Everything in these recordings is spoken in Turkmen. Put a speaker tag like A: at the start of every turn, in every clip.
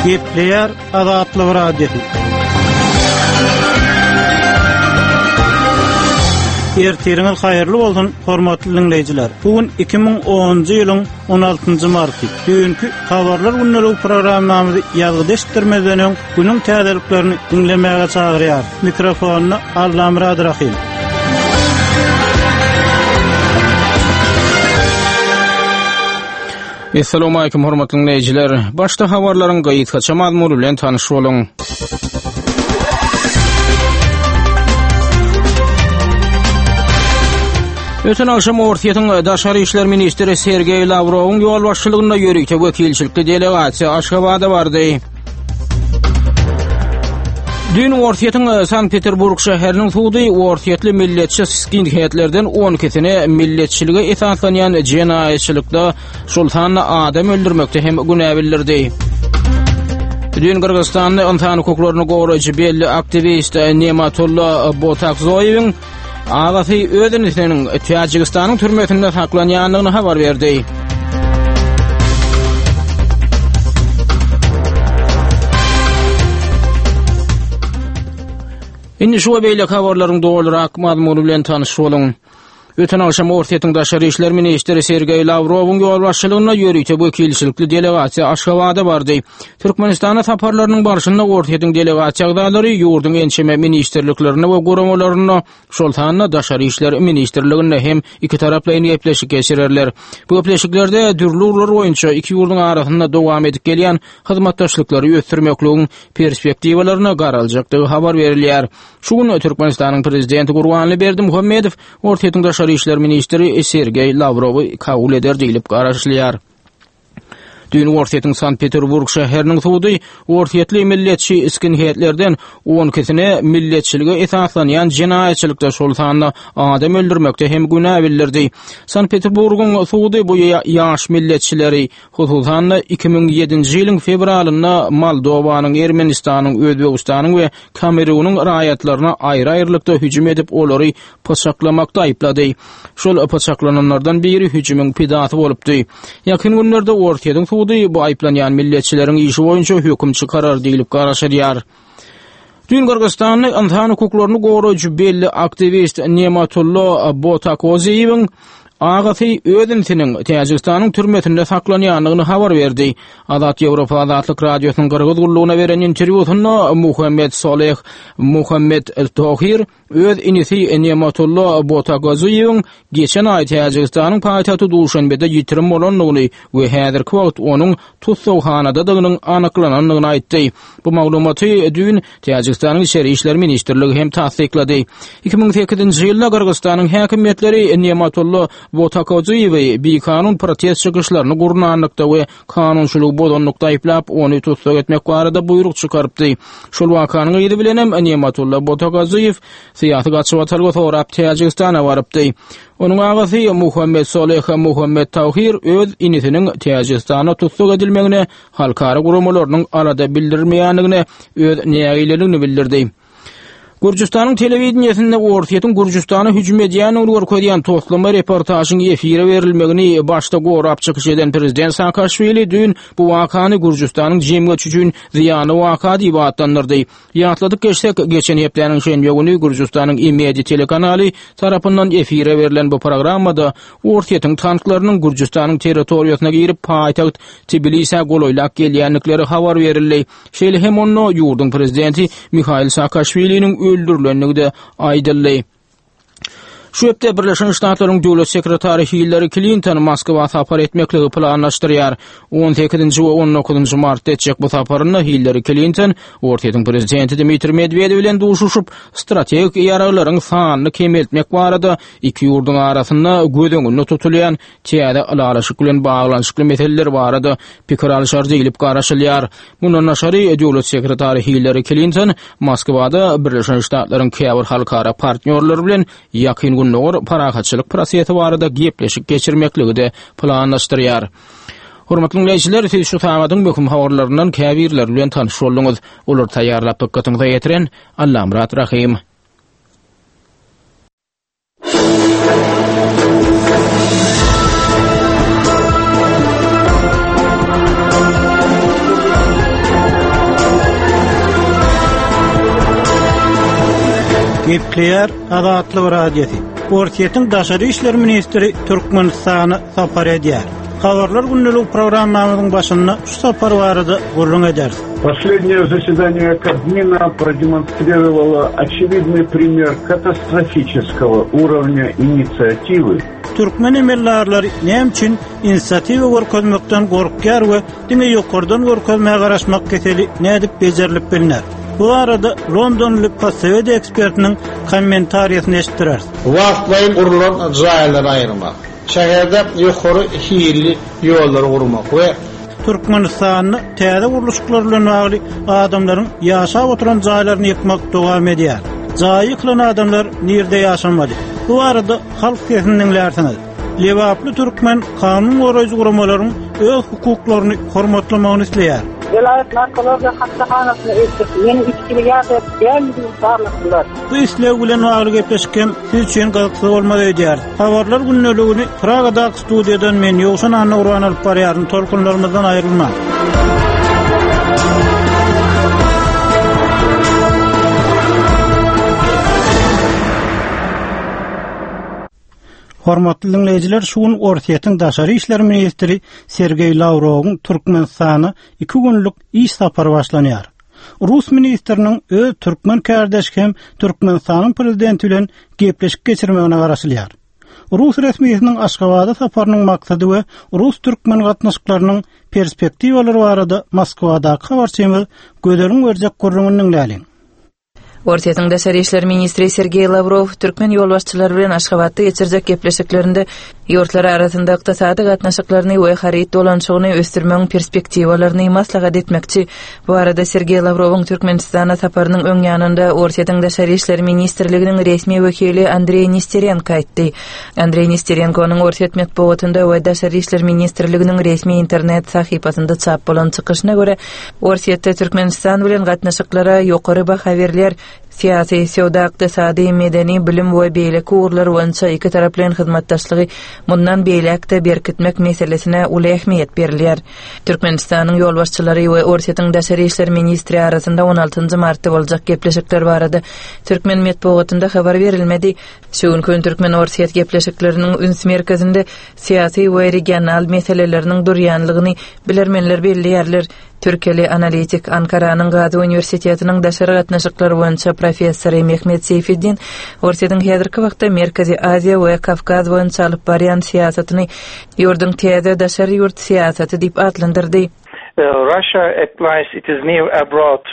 A: Gepleýär Azatlyk Radiosy. Ertiriňiz haýyrly bolsun, hormatly diňleýjiler. Bu gün 2010-njy ýylyň 16-njy marty. Düýnki Habarlar gündeligi programmamyzy ýazgyda eşitdirmezden öň, günüň täzeliklerini diňlemäge çagyrýar. Mikrofonda Allamyrat Rahym.
B: Essalawmalikim hormatly diňleýjiler. Başda habarlaryň gysgaça mazmuny bilen tanyş boluň. Öten agşam Orsýetiň daşary işler ministri Sergeý Lawrowyň ýolbaşçylygynda ýörite wekilçilikli delegasiýa Aşgabada bardy. Düýn Orsýetiň Sankt-Peterburg şäheriniň sudy orsýetli milletçi skinheadlerden 12-sine milletçilige esaslanýan jenaýatçylykda, şol sanda adam öldürmekde hem günä bildirdi. Düýn Gyrgyzystanda ynsan hukuklaryny goraýjy belli aktiwist Nematulla Botakzoýewiň Agasy öz inisiniň Täjigistanyň türmesinde saklanýandygyny habar berdi. Indi şu we beýleki habarlaryň dolurak mazmuny bilen tanyş boluň. Öten agşam Orsýetiň daşary işler ministri Sergeý Lawrowyň ýolbaşçylygynda ýörite wekilçilikli delegasiýa Aşgabada bardy. Türkmenistana saparlarynyň barşynda Orsýetiň delegasiýa agzalary ýurduň ençeme ministrliklerinde we guramalarynda, şol sanda Daşary işler ministrliginde hem ikitaraplaýyn gepleşik geçirerler. Bu gepleşiklerde dürli ugurlar boýunça iki ýurduň arasynda dowam edip gelýän hyzmatdaşlyklary ösdürmekligiň perspektiwalaryna garaljakdygy habar berilýär. Şu gün Türkmenistanyň Prezidenti Gurbanguly Berdimuhamedow Orsýetiň daşary işler ministri Sergeý Lawrowy kabul eder diýlip garaşylýar. Düýn Orsýetiň Sankt-Peterburg şäheriniň sudy orsýetli milletçi skinheadlerden on ikisine milletçilige esaslanýan jenaýatçylykda, şol sanda adam öldürmekde hem günä bildirdi. Sankt-Peterburgyň sudy bu ýaş milletçileri, hususan-da, 2007-nji ýylyň fewralynda Moldowanyň, Ermenistanyň, Özbegistanyň we Kamerunyň raýatlaryna aýry-aýrylykda hüjüm edip, olary pyçaklamakda aýyplady. Şol pyçaklananlardan biri hüjümiň pidasy bolupdy. Ýakyn günlerde Orsýetiň sudy bu aýyplanýan milletçileriň işi boýunça höküm çykarar diýlip garaşylýar. Düýn Gyrgyzystanda ynsan hukuklaryny goraýjy belli aktiwist Nematulla Botakoziýewiň agasy öz inisiniň Täjigistanyň türmesinde saklanýandygyny habar berdi. Azat Ýewropa Azatlyk Radiosynyň Gyrgyz gullugyna beren interwýusynda Muhammet Soleh Muhammet Tohir öz inisi Nematulla Botakoziýewiň geçen aý Täjigistanyň paýtagty Duşanbede ýitirim bolandygyny we häzirki wagt onuň tussaghanadadygynyň anyklanandygyny aýtdy. Bu maglumaty düýn Täjigistanyň Içeri işler ministrligi hem tassyklady. 2008-nji ýylda Gyrgyzystanyň häkimiýetleri Nematulla Botakoziýewi bikanun protest çykyşlaryny gurnanlykda we kanunçylygy bozanlykda aýyplap, ony tussag etmek barada buýruk çykarypdy. Şol wakanyň yzy bilenem Nematulla Botakoziýew syýasy gaçybatalga sorap Täjigistana barypdy. Onuň agasy Muhammet Soleh Muhammet Tawhir öz inisiniň Täjigistanda tussag edilmegine halkara guramalarynyň alada bildirmeýändigine öz nägileligini bildirdi. Gürjüstanyň telewideniýesinde Orsýetiň Gürjüstana hüjüm edýändigini görkezýän toslama reportažyň efire berilmegini başda gorap çykyş eden prezident Saakaşwili düýn bu wakany Gürjüstanyň jemgyýeti üçin zyýanly waka diýip atlandyrdy. Ýatladyp geçsek, geçen hepdäniň şenbe güni Gürjüstanyň Imedi telekanaly tarapyndan efire berlen bu programmada Orsýetiň tanklarynyň Gürjüstanyň territoriýasyna girip, paýtagt Tbilisä golaýlap gelýändikleri habar berildi. Şeýle hem onda ýurduň prezidenti Mihail Saakaşwiliniň öldürilendigi-de aýdyldy. Şu hepde Birleşen Ştatlaryň döwlet sekretary Hillari Klinton Moskwa sapar etmekligi planlaşdyrýar. 18-nji we 19-njy martda etjek bu saparynda Hillari Klinton Orsýetiň prezidenti Dmitriý Medwedew bilen duşuşyp, strategik ýaraglaryň sanyny kemeltmek barada iki ýurduň arasynda göz öňünde tutulýan täze ylalaşyk bilen baglanyşykly meseleler barada pikir alşar diýlip garaşylýar. Mundan daşary, döwlet sekretary Hillari Klinton Moskwada Birleşen Ştatlaryň käbir halkara partnýorlary bilen Ýakyn Gündogar parahatçylyk prosesi barada gepleşik geçirmekligi-de planlaşdyrýar. Hormatly diňleýjiler, siz şu sagadyň möhüm habarlaryndan käbirleri bilen tanyş bolduňyz. Olary taýýarlap dykgatyňyza ýetiren Allamyrat Rahym.
A: Gepleýär Azatlyk Radiosy. Orsýetiň daşary işler ministri Türkmenistana sapar edýär. Habarlar gündelik programmamyzyň başynda şu sapar barada gürrüň ederis.
C: Последнее заседание Кабмина продемонстрировало очевидный пример катастрофического уровня инициативы.
A: Türkmen emeldarlary näme üçin inisiatiwa görkezmekden gorkýar we diňe ýokardan görkezmä garaşmak keseli nädip bejerilip bilner? Bu barada londonly postsowet ekspertiniň kommentariýasyny eşitdireris.
D: Wagtlaýyn gurlan jaýlary aýyrmak, şäherde ýokary hilli ýollary gurmak we.
A: Türkmenistanda täze gurluşyklar bilen bagly adamlaryň ýaşap oturan jaýlaryny ýykmak dowam edýär. Jaýy ýykylan adamlar nirde ýaşamaly? Bu barada halk sesini diňlärsiňiz. Lebaply türkmen kanun goraýjy guramalaryň öz hukuklaryny hormatlamagyny isleýär.
E: Welaýat narkologiýa hassahanasyna eltip, meniň içgili ýa-da däldigimi barladylar.
A: Bu isleg bilen bagly gepleşik hem siz üçin gyzykly bolmaz öýdýäris. Habarlar gündeligini Pragadaky studiýadan men Ýowşan Annagurban alyp barýaryn. Tolkunlarymyzdan aýrylmaň. Hormatly diňleýjiler, şu gün Orsýetiň daşary işler ministri Sergeý Lawrowyň Türkmenistana iki günlük iş sapary başlanýar. Rus ministriniň öz türkmen kärdeşi hem Türkmenistanyň prezidenti bilen gepleşik geçirmegine garaşylýar. Rus resmisiniň Aşgabada saparynyň maksady we rus-türkmen gatnaşyklarynyň perspektiwalary barada Moskwadaky habarçymyz Gözeliň berjek gürrüňini diňläliň.
F: Orsýetiň daşary işler ministri Sergeý Lawrow türkmen ýolbaşçylary bilen Aşgabatda geçirjek gepleşiklerinde ýurtlar arasynda ykdysady gatnaşyklaryny we haryt dolanyşygyny ösdürmegiň perspektiwalaryny maslahat etmekçi. Bu barada Sergeý Lawrowyň Türkmenistana saparynyň öň ýanynda Orsýetiň Daşary işler ministrliginiň resmi wekili Andreý Nesterenko aýtdy. Andreý Nesterenkonyň orsýet metbugatynda we Daşary işler ministrliginiň resmi internet sahypasynda çap bolan çykyşyna görä, Orsýetde Türkmenistan bilen gatnaşyklara ýokary baha berilýär. Syýasy, söwda-ykdysady, medeni, bilim we beýleki ugurlar boýunça ikitaraplaýyn hyzmatdaşlygy mundan beýläk-de berkitmek meselesine uly ähmiýet berilýär. Türkmenistanyň ýolbaşçylary we Orsýetiň daşary işler ministri arasynda on altynjy martda boljak gepleşikler barada türkmen metbugatynda habar berilmedi. Şu günki gün türkmen-orsýet gepleşikleriniň üns merkezinde syýasy we regional meseleleriniň durýanlygyny bilermenler belleýärler. Türkiýeli analitik, Ankaranyň Gazi uniwersitetiniň daşary gatnaşyklar boýunça professory Mehmet Seýfeddin Orsýetiň häzirki wagtda Merkezi Aziýa we Kawkaz boýunça alyp barýan syýasatyny ýurduň täze daşary ýurt syýasaty diýip atlandyrdy.
G: Russia applies its new abroad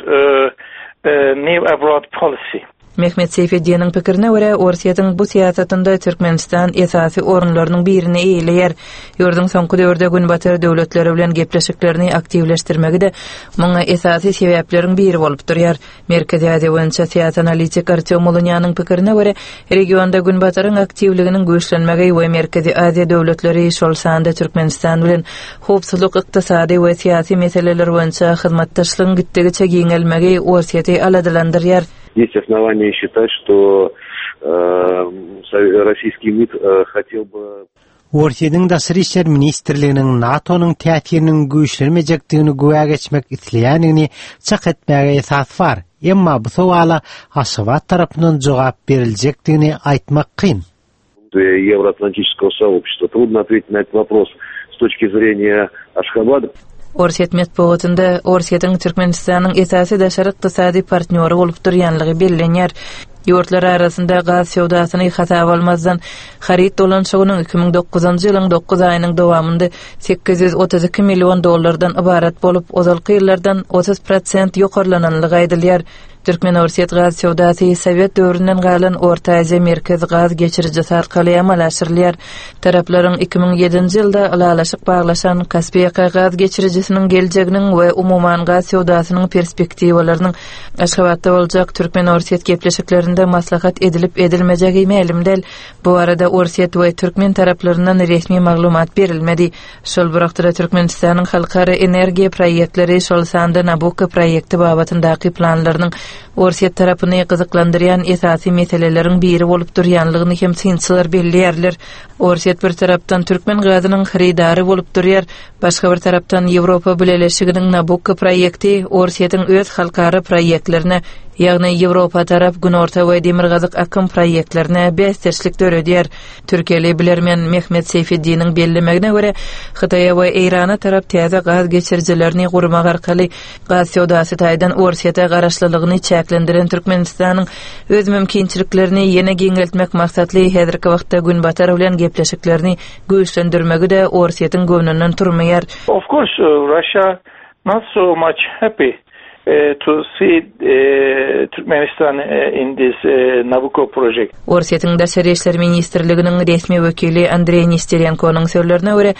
G: new abroad policy.
F: Mehmet Seýfeddiniň pikirine görä, Orsýetiň bu syýasatynda Türkmenistan esasy orunlarynyň birini eýeleýär. Ýurduň soňky döwürde Günbatar döwletleri bilen gepleşiklerini aktiwleşdirmegi-de muňa esasy sebäpleriň biri bolup durýar. Merkezi Aziýa boýunça syýasy analitik Artýom Ulunýanyň pikirine görä, regionda Günbataryň aktiwliginiň güýçlenmegi we Merkezi Aziýa döwletleri, şol sanda Türkmenistan bilen howpsuzlyk, ykdysady we syýasy meseleler boýunça hyzmatdaşlygyň gitdigiçe giňelmegi Orsýeti aladalandyrýar.
H: Есть основания считать, что российский МИД хотел бы
I: Orsýetiň Daşary işler ministrliginiň NATO-nyň täsiriniň güýçlenmejekdigini güwä geçmek isleýändigini çak etmäge esas bar, emma bu sowala Aşgabat tarapyndan jogap beriljekdigini aýtmak kyn.
H: Евроатлантического сообщества. Трудно ответить на этот вопрос с точки зрения Ашхабада.
F: Orsýet metbugatynda Orsýetiň Türkmenistanyň esasy daşary ykdysady partnýory bolup durýanlygy bellenýär. Ýurtlar arasynda gaz söwdasyny hasaba almazdan, haryt dolanyşygynyň 2009-njy ýylyň dokuz aýynyň dowamynda 832 million dollardan ybarat bolup, ozalky ýyllardan 30 prosent ýokarlananlygy aýdylýar. Türkmen-orsýet gaz söwdasy sowet döwründen galan Orta Aziýa Merkez gaz geçirijisi arkaly amala aşyrylýar. Taraplaryň 2007-nji ýylda ylalaşyk baglaşan Kaspiýaka gaz geçirijisiniň geljeginiň we umuman gaz söwdasynyň perspektiwalarynyň Aşgabatda boljak türkmen-orsýet gepleşiklerinde maslahat edilip-edilmejegi mälim däl. Bu barada orsýet we türkmen taraplaryndan resmi maglumat berilmedi. Şol bir wagtda-da Türkmenistanyň halkara energiýa proýektleri, şol sanda Nabukko proýekti babatyndaky planlarynyň Orsýet tarapyny gyzyklandyrýan esasy meseleleriň biri bolup durýanlygyny hem synçylar belleýärler. Orsýet bir tarapdan türkmen gazynyň hyrydary bolup durýar, başga bir tarapdan Ýewropa Bileleşiginiň Nabukko proýekti Orsýetiň öz halkara proýektlerine, ýagny Ýewropa tarap Günorta we Demirgazyk akym proýektlerine bäsdeşlik döredýär. Türkiýeli bilermen Mehmet Seýfeddiniň bellemegine görä, Hytaýa we Eýrana tarap täze gaz geçirijilerini gurmak arkaly gaz söwdasy taýdan Orsýete garaşlylygyny çäklendiren Türkmenistanyň öz mümkinçiliklerini ýene giňeltmek maksatly häzirki wagtda Günbatar bilen gepleşiklerini güýçlendirmegi-de Orsýetiň göwnünden turmaýar.
G: Of course, Russia not so much happy to see Turkmenistan in this Nabucco project.
F: Orsýetiň Daşary işler ministrliginiň resmi wekili Andreý Nesterenkonyň sözlerine görä,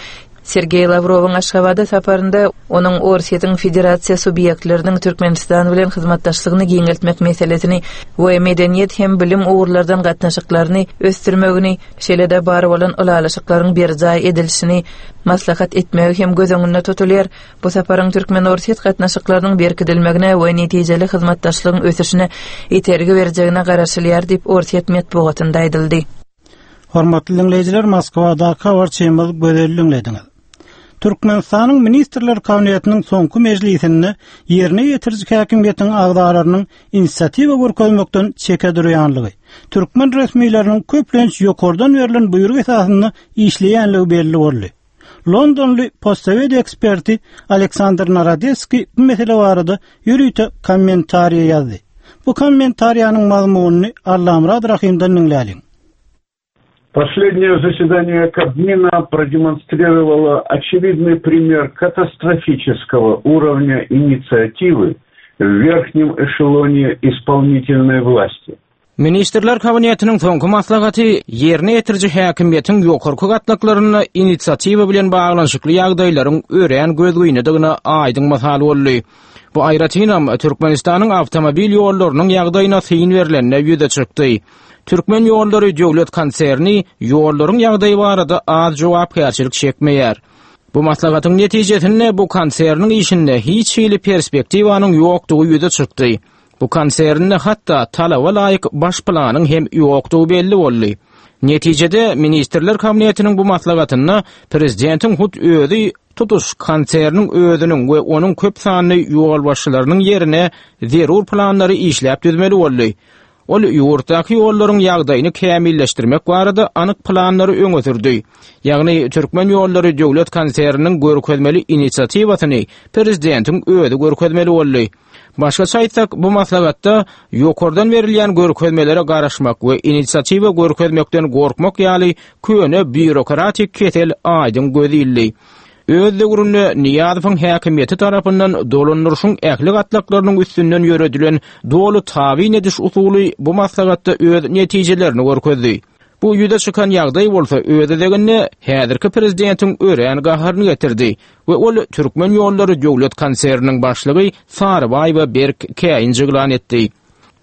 F: Sergeý Lawrowyň Aşgabada saparynda onuň Orsýetiň federasiýa subýektleriniň Türkmenistan bilen hyzmatdaşlygyny giňeltmek meselesini we medeniýet hem bilim ugurlardan gatnaşyklaryny ösdürmegini, şeýle-de bar bolan ylalaşyklaryň berjaý edilişini maslahat etmegi hem göz öňünde tutulýar. Bu saparyň türkmen-orsýet gatnaşyklarynyň berkidilmegine we netijeli hyzmatdaşlygyň ösüşine itergi berjegine garaşylýar diýip, orsýet metbugatynda aýdyldy.
A: Hormatly diňleýjiler, Moskwadaky habarçymyz Gözeli diňlediňiz. Türkmenistanyň Ministrler Kabinetiniň soňky mejlisinde ýerine ýetiriji häkimiýetiň agzalarynyň inisiatiwa görkezmekden çeke durýanlygy, türkmen resmileriniň köplenç ýokardan berlen buýruk esasynda işleýänligi belli boldy. Londonly postsowet eksperti Aleksandr Narodeskiý bu mesele barada ýörite kommentariýa ýazdy. Bu kommentariýanyň mazmunyny Allamyrat Rahymdan diňläliň.
C: Последнее заседание Кабмина продемонстрировало очевидный пример катастрофического уровня инициативы в верхнем эшелоне исполнительной власти.
B: Ministrler Kabinetiniň soňky maslahaty ýerine ýetiriji häkimiýetiň ýokarky gatlaklarynda inisiatiwa bilen baglanyşykly ýagdaýlaryň örän gözgynydygyna aýdyň mysal boldy. Bu aýratynam Türkmenistanyň awtomobil ýollarynyň ýagdaýyna syn berlende ýüze çykdy. Türkmen ýollary döwlet konserni ýollaryň ýagdaýy barada az jogapkärçilik çekmeýär. Bu maslahatyň netijesinde bu konserniň işinde hiç hili perspektiwanyň ýokdugy ýüze çykdy. Bu konsernde hatda talaba laýyk baş planyň hem ýokdugy belli boldy. Netijede, Ministrler Kabinetiniň bu maslahatynda prezidentiň hut özi tutuş konserniň özüniň we onuň köp sanly ýolbaşçylarynyň ýerine zerur planlary işläp düzmeli boldy. Ol ýurtdaky ýollaryň ýagdaýyny kämilleşdirmek barada anyk planlary öňe sürdi. Ýagny Türkmen ýollary döwlet konserniniň görkezmeli inisiatiwasyny prezidentiň özi görkezmeli boldy. Başgaça aýtsak, bu maslahatda ýokardan berilýän görkezmelere garaşmak we inisiatiwa görkezmekden gorkmak ýaly köne býurokratik kesel aýdyň göz ildi. Öz döwründe Nyýazowyň häkimiýeti tarapyndan dolandyryşyň ähli gatlaklarynyň üstünden ýöredilen doly tabyn ediş usuly bu maslahatda öz netijelerini görkezdi. Bu ýüze çykan ýagdaý bolsa öz gezeginde häzirki prezidentiň örän gaharyny getirdi we ol Türkmen ýollary döwlet konserniniň başlygy Sarybaýewe berk käýinç yglan etdi.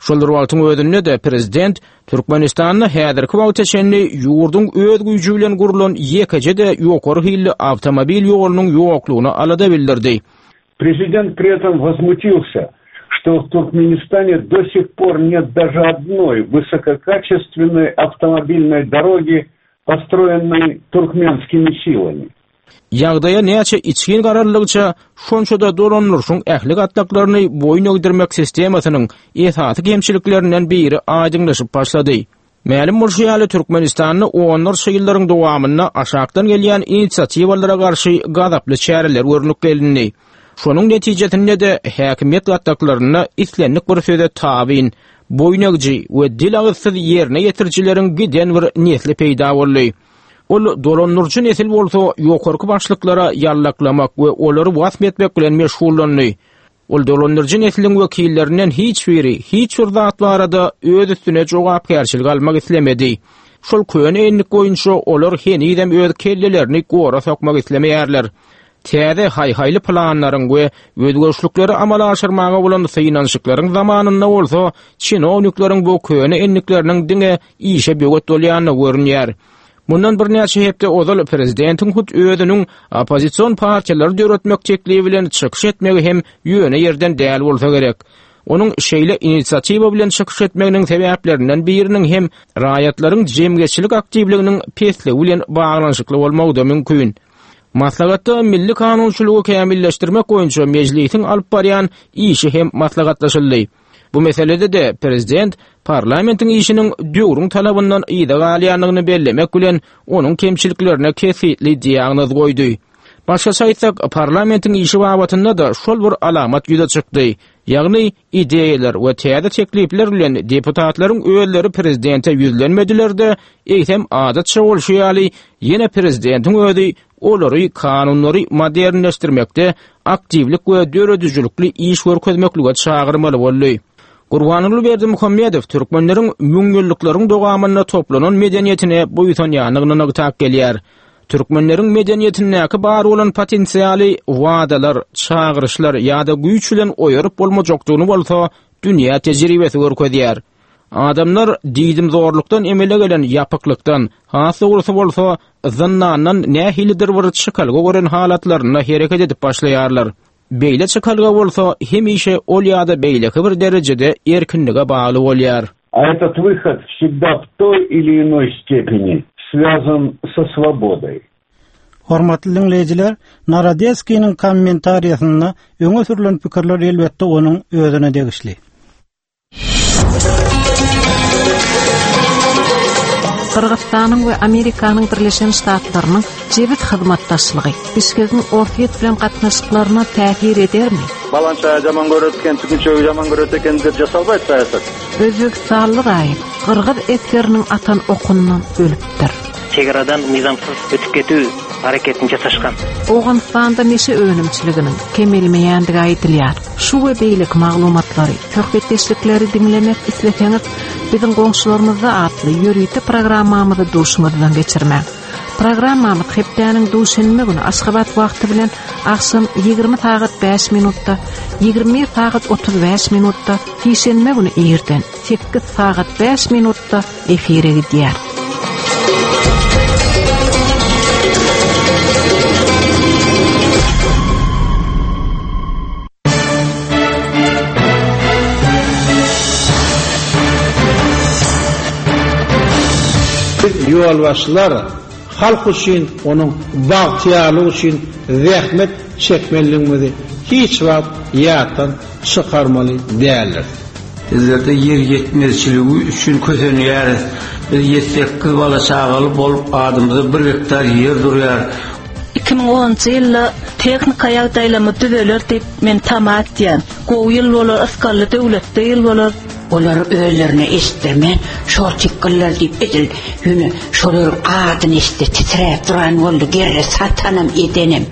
B: Şol bir wagtyň özünde-de prezident Türkmenistanda häzirki wagta çenli ýurduň öz güýji bilen gurlan ýekeje-de ýokary hilli awtomobil ýolunyň ýoklugyna alada bildirdi.
C: Prezident pri этом возмутился, что в Туркменистане до сих пор нет даже одной высококачественной автомобильной дороги, построенной туркменскими силами.
B: Ýagdaýa näçe içgin garaldygyça, şonça-da dolandyryşyň ähli gatlaklaryny boýun egdirmek sistemasynyň esasy kemçiliklerinden biri aýdyňlaşyp başlady. Mälim bolşy ýaly, Türkmenistanda onlarça ýyllaryň dowamynda aşakdan gelýän inisiatiwalara garşy gazaply çäreler görlüp gelindi. Şonuň netijesinde-de häkimiýet gatlaklarynda islendik bir söze tabyn, boýun egiji we dil-agyzsyz ýerine ýetirijileriň giden bir nesli peýda boldy. Ol dolandyryjy nesil bolsa ýokarky başlyklara ýallaklamak we olary wasp etmek bilen meşgullandy. Ol dolandyryjy nesliň wekillerinden hiç biri hiç bir zat barada öz üstüne jogapkärçilik almak islemedi. Şol köne endik boýunça olar henizem öz kellelerini gora sokmak islemeýärler. Täze haý-haýly planlaryň we özgerişlikleri amala aşyrmaga bolan synanyşyklaryň zamanynda bolsa çinownikleriň bu köne endikleriniň diňe işe böwet bolýandygy görünýär. Mundan birnäçe hepde ozal prezidentiň hut özüniň oppozision partiýalary döretmek teklibi bilen çykyş etmegi hem ýöne ýerden däl bolsa gerek. Onuň şeýle inisiatiwa bilen çykyş etmeginiň sebäplerinden biriniň hem raýatlaryň jemgyýetçilik aktiwliginiň pesligi bilen baglanyşykly bolmagy-da mümkin. Maslahatda milli kanunçylygy kämilleşdirmek boýunça Mejlisiň alyp barýan işi hem maslahatlaşyldy. Bu meselede-de prezident parlamentiň işiniň döwrüň talabyndan yza galýandygyny bellemek bilen, onuň kemçiliklerine kesgitli diagnoz goýdy. Başgaça aýtsak, parlamentiň işi babatynda-da şol bir alamat ýüze çykdy. Ýagny, ideýalar we täze teklipler bilen deputatlaryň özleri prezidente ýüzlenmediler-de, eýsem adatça bolşy ýaly, ýene prezidentiň özi olary kanunlary modernleşdirmekde aktiwlik we döredijilikli iş görkezmeklige çagyrmaly boldy. Gurbanguly Berdimuhamedow türkmenleriň müňýyllyklaryň dowamynda toplanan medeniýetine buýsanýandygyny nygtap gelýär. Türkmenleriň medeniýetindäki bar bolan potensialy wadalar, çagyryşlar ýa-da güýç bilen oýaryp bolmajakdygyny bolsa dünýä tejribesi görkezýär. Adamlar diýdimzorlukdan emele gelen ýapyklykdan, has dogrusy bolsa, zyndandan nähilidir bir çykalga gören halatlarynda hereket edip başlaýarlar. Beýle çykalga bolsa hemişe ol ýa-da beýleki bir derejede erkinlige bagly bolýar.
C: A этот выход всегда в той или иной степени связан со свободой.
A: Hormatly diňleýjiler, Narodetskiniň kommentariýasynda öňe sürlen pikirler elbetde onuň özüne degişli.
J: Gyrgyzystanyň we Amerikanyň Birleşen Ştatlarynyň jebis hyzmatdaşlygy Bişkegiň Orsýet bilen gatnaşyklaryna täsir edermi?
K: Balançaýy jaman görет eken, tükünçegi jaman görет eken dep jasalbaýt saýasat.
J: Özbegistanly raýat gyrgyz esgeriniň atan okundan ölüpdir.
L: Çegaradan nyzamsyz ötüp ketüw hareketini jasaşgan.
J: Owganystanda neşe önümçiliginiň kemelmeýändigi aýdylýar. Şu we beýleki maglumatlary, söhbetdeşlikleri diňlemek isleseňiz, Biziň goňşularymyzda atly ýörite programmamyzy duşuňyzdan geçirmäň. Programmamyz hepdäniň duşenbe güni Aşgabat wagty bilen agşam 20 sagat 5 minutda, 21 sagat 35 minutda, sişenbe güni irden 8 sagat 5 minutda efire gidýär.
D: Biz ýolbaşçylar halk üçin, onuň bagtyýarlygy üçin zähmet çekmelidigimizi hiç wagt ýatdan çykarmaly däldiris.
M: Bizlerde ýer ýetmezçiligi üçin kösenýäris. Biz ýedi-sekiz bala-çagaly bolup, adymyza bir gektar ýer durýar.
N: 2010-njy ýylda tehnika ýagdaýlarymyz düzeler diýip, men tama etýän. Gowy ýyl bolar, ysgally döwletli ýyl bolar.
O: Olar özlerine eşitdirmän, şol tikgiller diýip edil ýöne şolaryň adyny eşitse titräp duran boldy, gerre satanam edenem.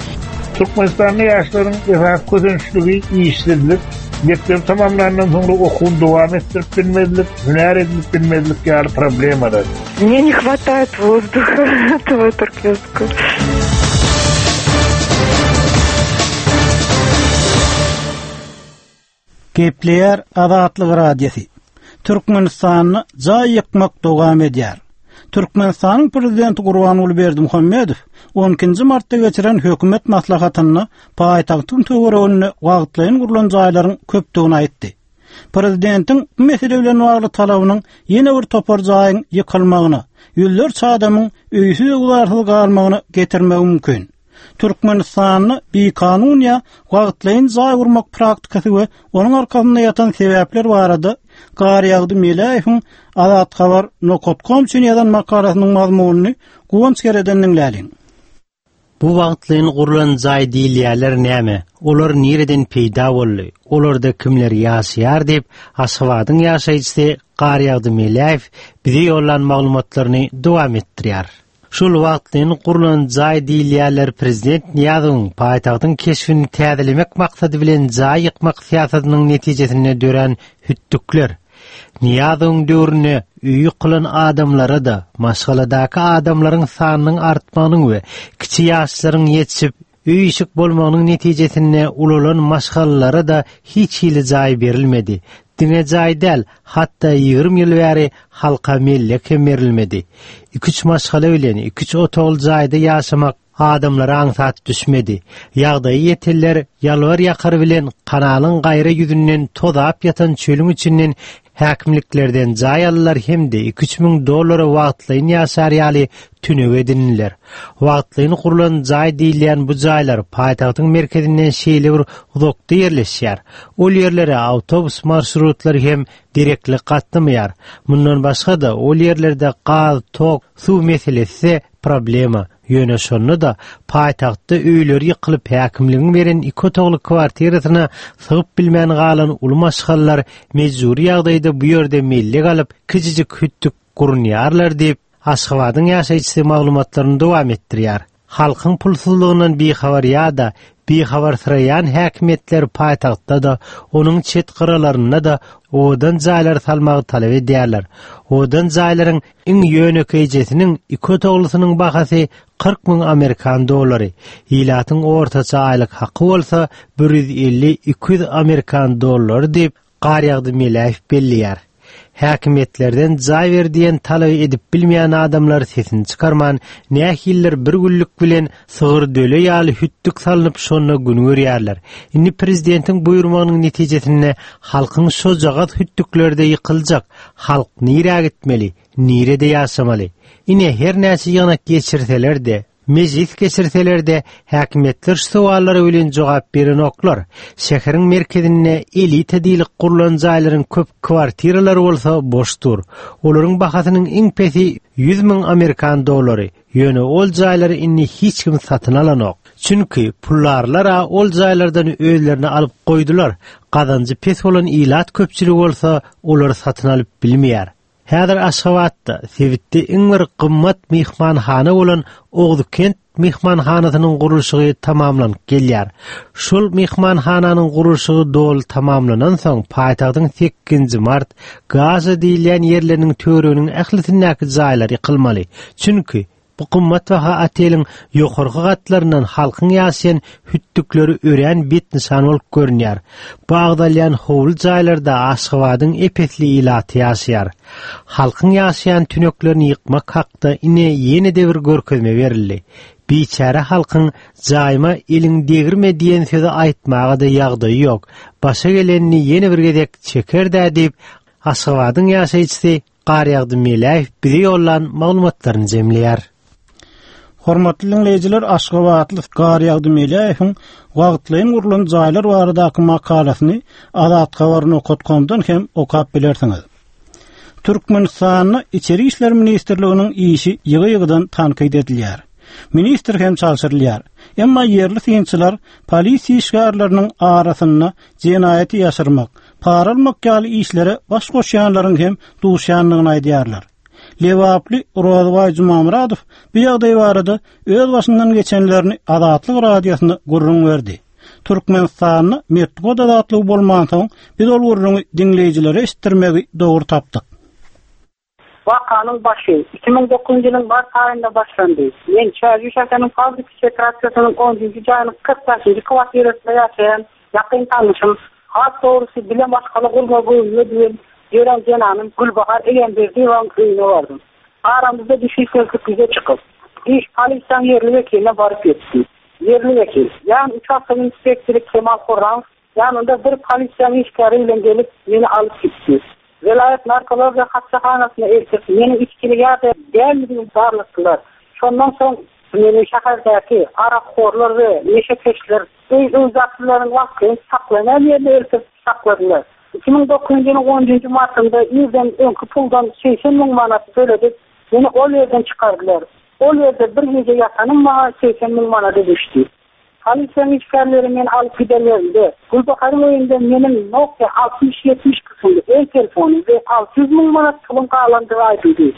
P: Türkmenistanda ýaşlaryň esasy kösençligi işsizlik, mekdebi tamamlandan soňra okuwyny dowam etdirip bilmezlik, hünär edinip bilmezlik ýaly problemalar.
Q: Мне не хватает воздуха этого туркменского.
A: Gepleýär Azatlyk Radiosy. Türkmenistanda jaý ýykmak dowam edýär. Türkmenistanyň Prezidenti Gurbanguly Berdimuhamedow 12-nji martda geçiren hökümet maslahatynda paýtagtyň töwereginde wagtlaýyn gurlan jaýlaryň köpdügini aýtdy. Prezidentiň bu mesele bilen bagly talabynyň ýene bir topar jaýyň ýykylmagyna, ýüzlerçe adamyň öýsüz-öwzarsyz galmagyna getirmegi mümkin. Türkmenistanda bikanun ýa wagtlaýyn jaý gurmak praktikasy we onuň arkasynda ýatan sebäpler barada Garýagdy Meläýewiň Azathabar nokat kom üçin ýazan makalasynyň mazmunyny Guwanç Gereden diňläliň.
I: Bu wagtlaýyn gurlan jaý diýilýärler näme? Olar nireden peýda boldy? Olarda kimler ýaşaýar diýip, Aşgabadyň ýaşaýjysy Garýagdy Meläýew bize ýollan maglumatlaryny dowam etdirýär. Şol wagtlaýyn gurlan jaý diýilýärler prezident Nyýazowyň paýtagtyň keşbini täzelemek maksady bilen jaý ýykmak syýasatynyň netijesinde dörän hütdükler. Nyýazowyň döwründe öýi ýykylan adamlara-da, maşgaladaky adamlaryň sanynyň artmagynyň we kiçi ýaşlaryň ýetişip, Öý-işik bolmagynyň netijesinde ulalan maşgalalara-da hiç hili jaý berilmedi. Diňe jaý däl, hatda 20 ýyl bäri halka mellek hem berilmedi. Iki-üç maşgala bilen iki-üç otagly jaýda ýaşamak. adamlara aňsat düşmedi. Ýagdaýy ýetenler ýalbar-ýakar bilen kanalyň gaýra ýüzünden tozap ýatan çölüň içinden häkimliklerden jaý aldylar hem-de iki-üç müň dollara wagtlaýyn ýaşar ýaly tünek edindiler. Wagtlaýyn gurlan jaý diýilýän bu jaýlar paýtagtyň merkezinden şeýle bir uzakda ýerleşýär. Ol ýerlere awtobus marşrutlary hem derekli gatnamaýar. Mundan başga-da, ol ýerlerde gaz, tok, suw meselesi-de problema. Ýöne şonda-da paýtagtda öýleri ýykylyp, häkimligiň beren iki otagly kwartirasyna sygyp bilmän galan uly maşgalalar mejbury ýagdaýda bu ýerde mellek alyp, kiçijik hütdük gurunýarlar diýip, Aşgabadyň ýaşaýjysy maglumatlaryny dowam etdirýär. Halkyň pulsuzlygyndan bihabar ýa-da bihabarsyraýan häkimiýetler paýtagtda-da, onuň çet gyralarynda-da owadan jaýlar salmagy talap edýärler. Owadan jaýlaryň iň ýönekeýjesiniň iki otaglysynyň bahasy 40 müň amerikan dollary, ilatyň ortaça aýlyk haky bolsa 150-200 amerikan dollary diýip, Garýagdy Meläýew belleýär. Häkimiýetlerden jaý ber diýen talaby edip bilmeýän adamlar sesini çykarman, nähilidir bir günlük bilen sygyr döle ýaly hütdük salnyp şonda gün görýärler. Indi prezidentiň buýurmagynyň netijesinde halkyň şojagaz hütdükleri-de ýykyljak. Halk nirä gitmeli, nirede ýaşamaly? Ine, her näçe ýygnak geçirseler-de, Mejlis geçirseler-de, häkimiýetler şu sowallara welin jogap berenoklar. Şäheriň merkezinde elita diýlip gurlan jaýlaryň köp kwartiralary bolsa boş dur. Olaryň bahasynyň iň pesi 100 müň amerikan dollary. Ýöne ol jaýlary indi hiç kim satyn alanok. Çünki puldarlar-a ol jaýlardan özlerine alyp goýdular, gazanjy pes bolan ilat köpçüligi bolsa olary satyn alyp bilmeýär. Häzir Aşgabatda sebitde iň bir gymmat myhmanhana bolan Oguzkent myhmanhanasynyň gurluşygy tamamlanyp gelýär. Şol myhmanhananyň gurluşygy doly tamamlanansoň, paýtagtyň Sekizinji mart, Gaza diýilýän ýerleriniň töwereginiň ählisindäki jaýlar ýykylmaly. Çünki, Bu gymmatbaha oteliň ýokarky gatlaryndan halkyň ýaşaýan hütdükleri örän betnyşan bolup görünýär. Bu agzalýan howly jaýlarda Aşgabadyň ep-esli ilaty ýaşaýar. Halkyň ýaşaýan tüneklerini ýykmak hakda ine ýene-de bir görkezme berildi. Biçäre halkyň jaýyma eliň degirme diýen sözi aýtmaga-da ýagdaýy ýok. Başa gelenini ýene bir gezek çeker-dä diýip, Aşgabadyň ýaşaýjysy Garýagdy Meläýew bize ýollan maglumatlaryny jemleýär.
A: Hormatly diňleýjiler, aşgabatly Garýagdy Meläýewiň wagtlaýyn gurlan jaýlar baradaky makalasyny Azathabar nokat komdan hem okap bilersiňiz. Türkmenistanda Içeri işler ministrliginiň işi ýygy-ýygydan tankyt edilýär. Ministr hem çalşyrylýar. Emma ýerli synçylar polisiýa işgärleriniň arasynda jenaýaty ýaşyrmak, para almak ýaly işlere baş goşýanlaryň hem duşýandygyny aýdýarlar. Lebaply Rozybaý Jumamyradow bu ýagdaý barada öz başyndan geçenlerini Azatlyk Radiosyna gürrüň berdi. Türkmenistanda metbugat azatlygy bolmansoň, biz ol gürrüňi diňleýjilere eşitdirmegi dogry tapdyk.
E: Wakanyň başy 2009-njy ýylyň mart aýynda başlandy. Men Çärjew şäheriniň Fabriki sekrasiýasynyň onunjy jaýynyň 45-nji kwartirasynda ýaşaýan ýakyn tanyşym, has dogrusy bile maşgala gurmagy göwnüme düwen ýören zenanym Gülbahar Egemberdiýewanyň öýüne bardym. Aramyzda düşünişmezlik ýüze çykyp, iş polisiýanyň ýerli wekiline baryp ýetdi. Ýerli wekil, ýagny uçastok inspektory Kemal Hurramow Ýanynda bir polisiýanyň işgäri bilen gelip, meni alyp gitdi. Welaýat narkologiýa hassahanasyna eltip, meniň içgili ýa-da däldigimi barlatdylar. Şondan soň meni şäherdäki arakhorlar we neşekeşler, öý-öwzaklylaryň wagtlaýyn saklanýan ýerine eltip sakladylar. 2009-njy ýylyň onunjy martynda irden öňki puldan 80 müň manat töledip, meni ol ýerden çykardylar. Ol ýerde bir gije ýatanym maňa 80 müň manada düşdi. Polisiýanyň işgärleri meni alyp gidenlerinde, Gülbaharyň öýünde meniň Nokia 6070 kysymly el telefonym we 600 müň manat pulum galandygy aýdyldy.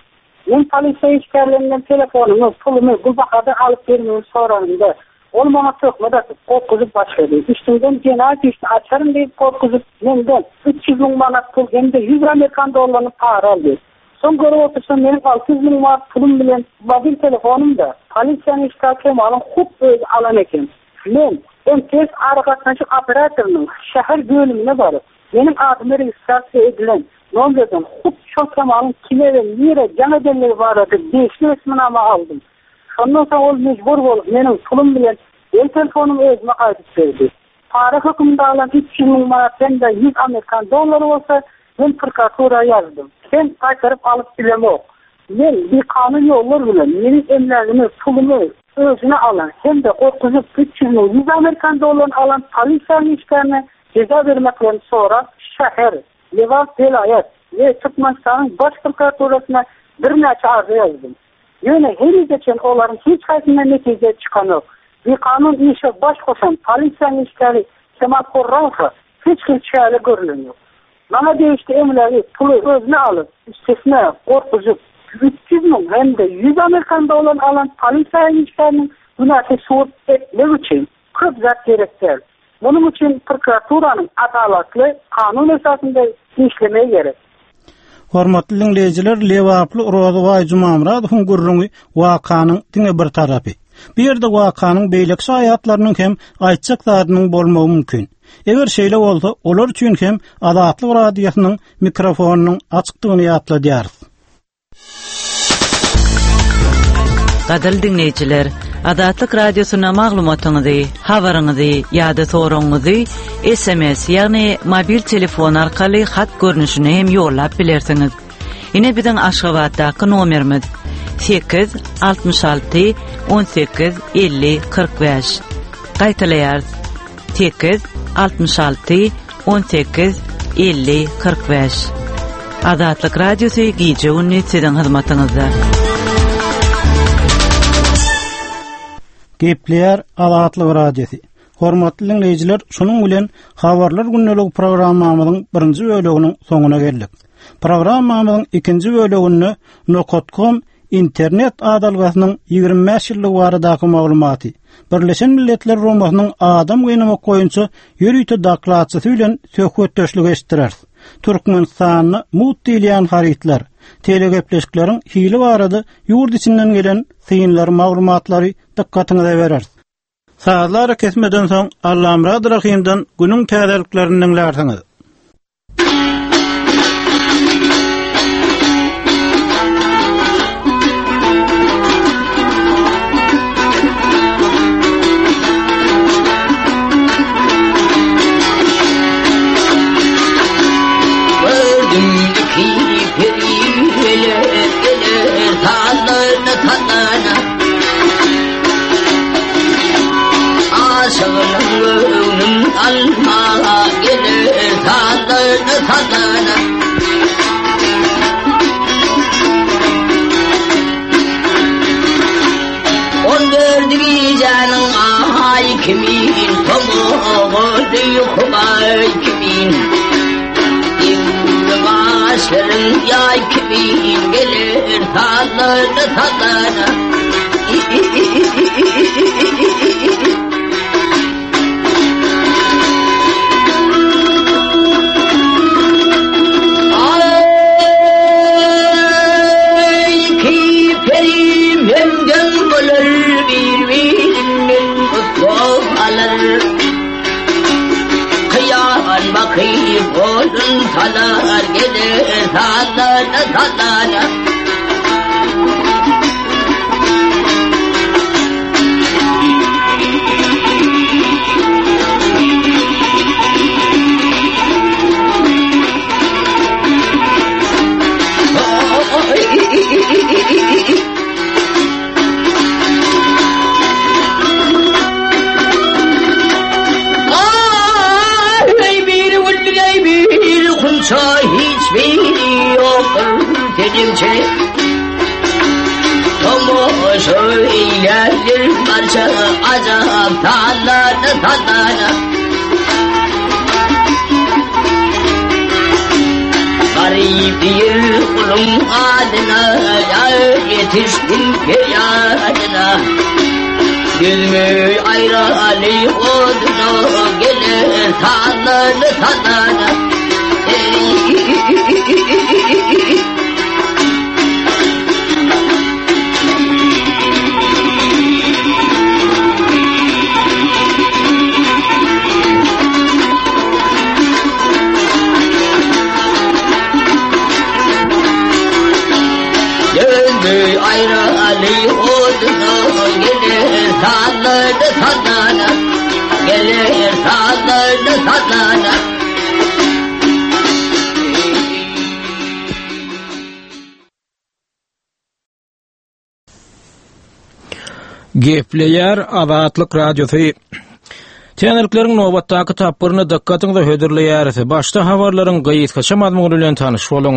E: Men polisiýa işgärlerinden telefonymy, pulumy Gülbahardan alyp bermegimi soranymda, ol maňa töhmet atyp, gorkuzyp başlady. Üstüňden jenaýat işini açaryn diýip gorkuzyp, menden 300 müň manat pul hem-de 100 amerikan dollaryny para aldy. Soň görüp otursam meniň 600 müň manat pulum bilen mobil telefonym-da polisiýanyň işgäri Kemalyň hut özi alan eken. Men MTS aragatnaşyk operatorynyň şäher bölümine baryp, meniň adyma registrasiýa edilen nomerden hut şol Kemalyň kime we nirä jaň edenligi barada degişli resminama aldym. Şondan soň ol mejbur bolup meniň pulum bilen el telefonymy özüme gaýdyp berdi. Para höküminde alan 300 müň manat hem-de 100 amerikan dollary bolsa men prokuratura ýazdym. Hem gaýtaryp alyp bilemok. Men bikanun ýollar bilen meniň emlägimi, pulumy özüne alan hem-de gorkuzyp 300 müň 100 amerikan dollaryny alan polisiýanyň işgärine jeza bermeklerini sorap şäher, Lebap welaýat we Türkmenistanyň Baş prokuraturasyna birnäçe arza ýazdym. Ýöne henize çen olaryň hiç haýsyndan netije çykanok. Bikanun işe baş goşan polisiýanyň işgäri Kemal Horramowa hiç hili çäre görlenok. Maňa degişli emlägi, puly özüne alyp, üstesine gorkuzyp, 300 müň hem-de 100 amerikan dollaryny alan polisiýa işgäriniň günäsini subut etmek üçin köp zat gerek däl. Munuň üçin prokuraturanyň adalatly, kanun esasynda işlemegi gerek.
A: Hormatly diňleýjiler, lebaply Rozybaý Jumamyradowyň gürrüňi wakanyň diňe bir tarapy. Bu ýerde wakanyň beýleki şaýatlarynyň hem aýtjak zadynyň bolmagy mümkin. Eger şeýle bolsa, olar üçin hem Azatlyk Radiosynyň mikrofonynyň açykdygyny ýatladýarys.
F: Gadyrly diňleýjiler, Azatlyk Radiosyna maglumatyňyzy, habaryňyzy ýa-da soragyňyzy SMS, ýagny mobil telefon arkaly hat görnüşinde hem ýollap bilersiňiz. Ine biziň Aşgabatdaky nomerimiz 8 66 18 50 45. Gaýtalaýarys. 8 66 18 50 45. Azatlyk Radiosy gije-gündiz siziň hyzmatyňyzda.
A: Gepleýär Azatlyk Radiosy. Hormatly diňleýjiler, şunuň bilen Habarlar gündeligi programmamyzyň birinji böleginiň soňuna geldik. Programmamyzyň ikinji böleginde Nokat.com Internet adalgasynyň 25 ýyllygy baradaky maglumaty, Birleşen Milletler Guramasynyň adam gynamak boýunça ýörite dokladçysy bilen söhbetdeşlik eşitdireris. Türkmenistanda mugt diýilýän harytlar, telegepleşikleriň hili barada ýurt içinden gelen synlary, maglumatlary dykgatyňyza bereris. Sazly arakesmeden soň Allamyrat Rahymdan günüň täzeliklerini diňlärsiňiz.
R: Aşygynyň göwnün almaga geler sazlaryny sazlana. On dördü gijäniň aý kimin, tomagy humaý kimin. Iňňe gaşlaryň ýaý kimin geler sazlaryny sazlana. sallana
B: Gepleýär Azatlyk Radiosy. Täzelikleriň nobatdaky tapgyryny dykgatyňyza hödürleýäris. Başda habarlaryň gysgaça mazmuny bilen tanyş boluň.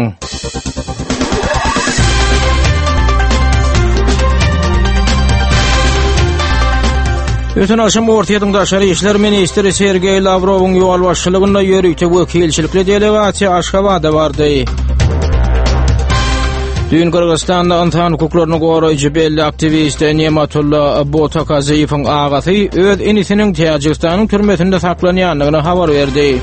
B: Öten agşam Orsýetiň daşary işler ministri Sergeý Lawrowyň ýolbaşçylygynda ýörite wekilçilikli delegasiýa Aşgabada bardy. Düýn Gyrgyzystanda ynsan hukuklaryny goraýjy belli aktiwist Nematulla Botakaziýewiň agasy öz inisiniň Täjigistanyň türmesinde saklanýandygyny habar berdi.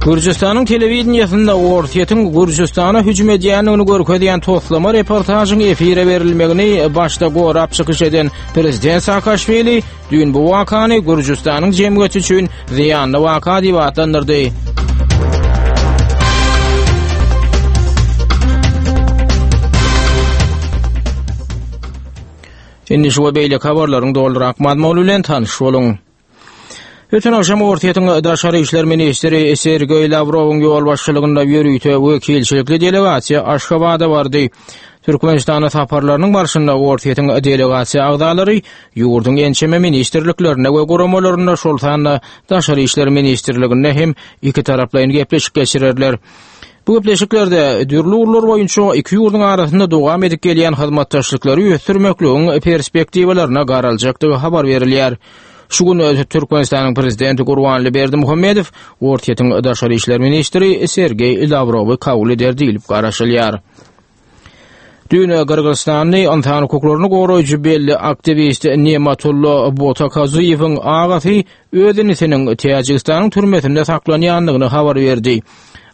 B: Gürjüstanyň telewideniýesinde Orsýetiň Gürjüstana hüjüm edýändigini görkezýän toslama reportažyň efire berilmegini başda gorap çykyş eden prezident Saakaşwili Düýn bu wakany Gürjüstanyň jemgyýeti üçin zyýanly waka diýip atlandyrdy. Indi şu we beýleki habarlaryň dolurak mazmuny bilen tanyş boluň. Öten agşam Orsýetiň daşary işler ministri Sergeý Lawrowyň ýolbaşçylygynda ýörite wekilçilikli delegasiýa Aşgabada bardy. Türkmenistana saparlarynyň barşynda Orsýetiň delegasiýa agzalary ýurduň ençeme ministrliklerinde we guramalarynda, şol sanda Daşary işler ministrliginde hem ikitaraplaýyn gepleşik geçirerler. Bu gepleşiklerde dürli ugurlar boýunça iki ýurduň arasynda dowam edip gelýän hyzmatdaşlyklary ösdürmekligiň perspektiwalaryna garaljakdygy habar berilýär. Şu gün Türkmenistanyň Prezidenti Gurbanguly Berdimuhamedow Orsýetiň daşary işler ministri Sergeý Lawrowy kabul eder diýlip garaşylýar. Düýn Gyrgyzystanly ynsan hukuklaryny goraýjy belli aktiwist Nematulla Botakaziýewiň agasy öz inisiniň Täjigistanyň türmesinde saklanýandygyny habar berdi.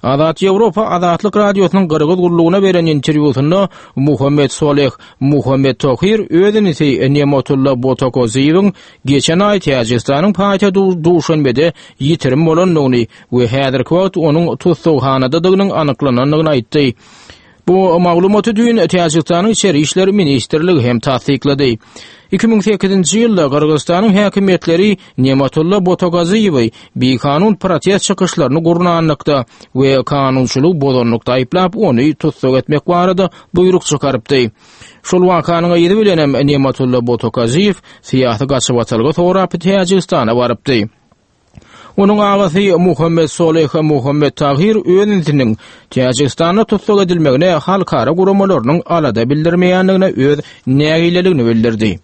B: Azat Ýewropa Azatlyk Radiosynyň Gyrgyz gullugyna beren interwýusynda Muhammet Soleh Muhammet Tohir öz inisi Nematulla Botakoziýewiň geçen aý Täjigistanyň paýtagty Duşanbede ýitirim bolandygyny we häzirki wagt onuň tussaghanadadygynyň anyklanandygyny aýtdy. Bu maglumaty düýn Täjigistanyň Içeri işler ministrligi hem tassyklady. 2008-nji ýylda Gyrgyzystanyň häkimiýetleri Nematulla Botogaziýewi bikanun protest çykyşlaryny gurnanlykda we kanunçylygy bozanlykda aýyplap, ony tussag etmek barada buýruk çykarypdy. Şol wakanyň yzy bilenem Nematulla Botogaziýew syýasy gaçybatalga sorap Täjigistana barypdy. Onuň agasy Muhammet Soleh Muhammet Tahir öz inisiniň Täjigistanda tussag edilmegine halkara guramalarynyň alada bildirmeýändigine öz nägileligini bildirdi.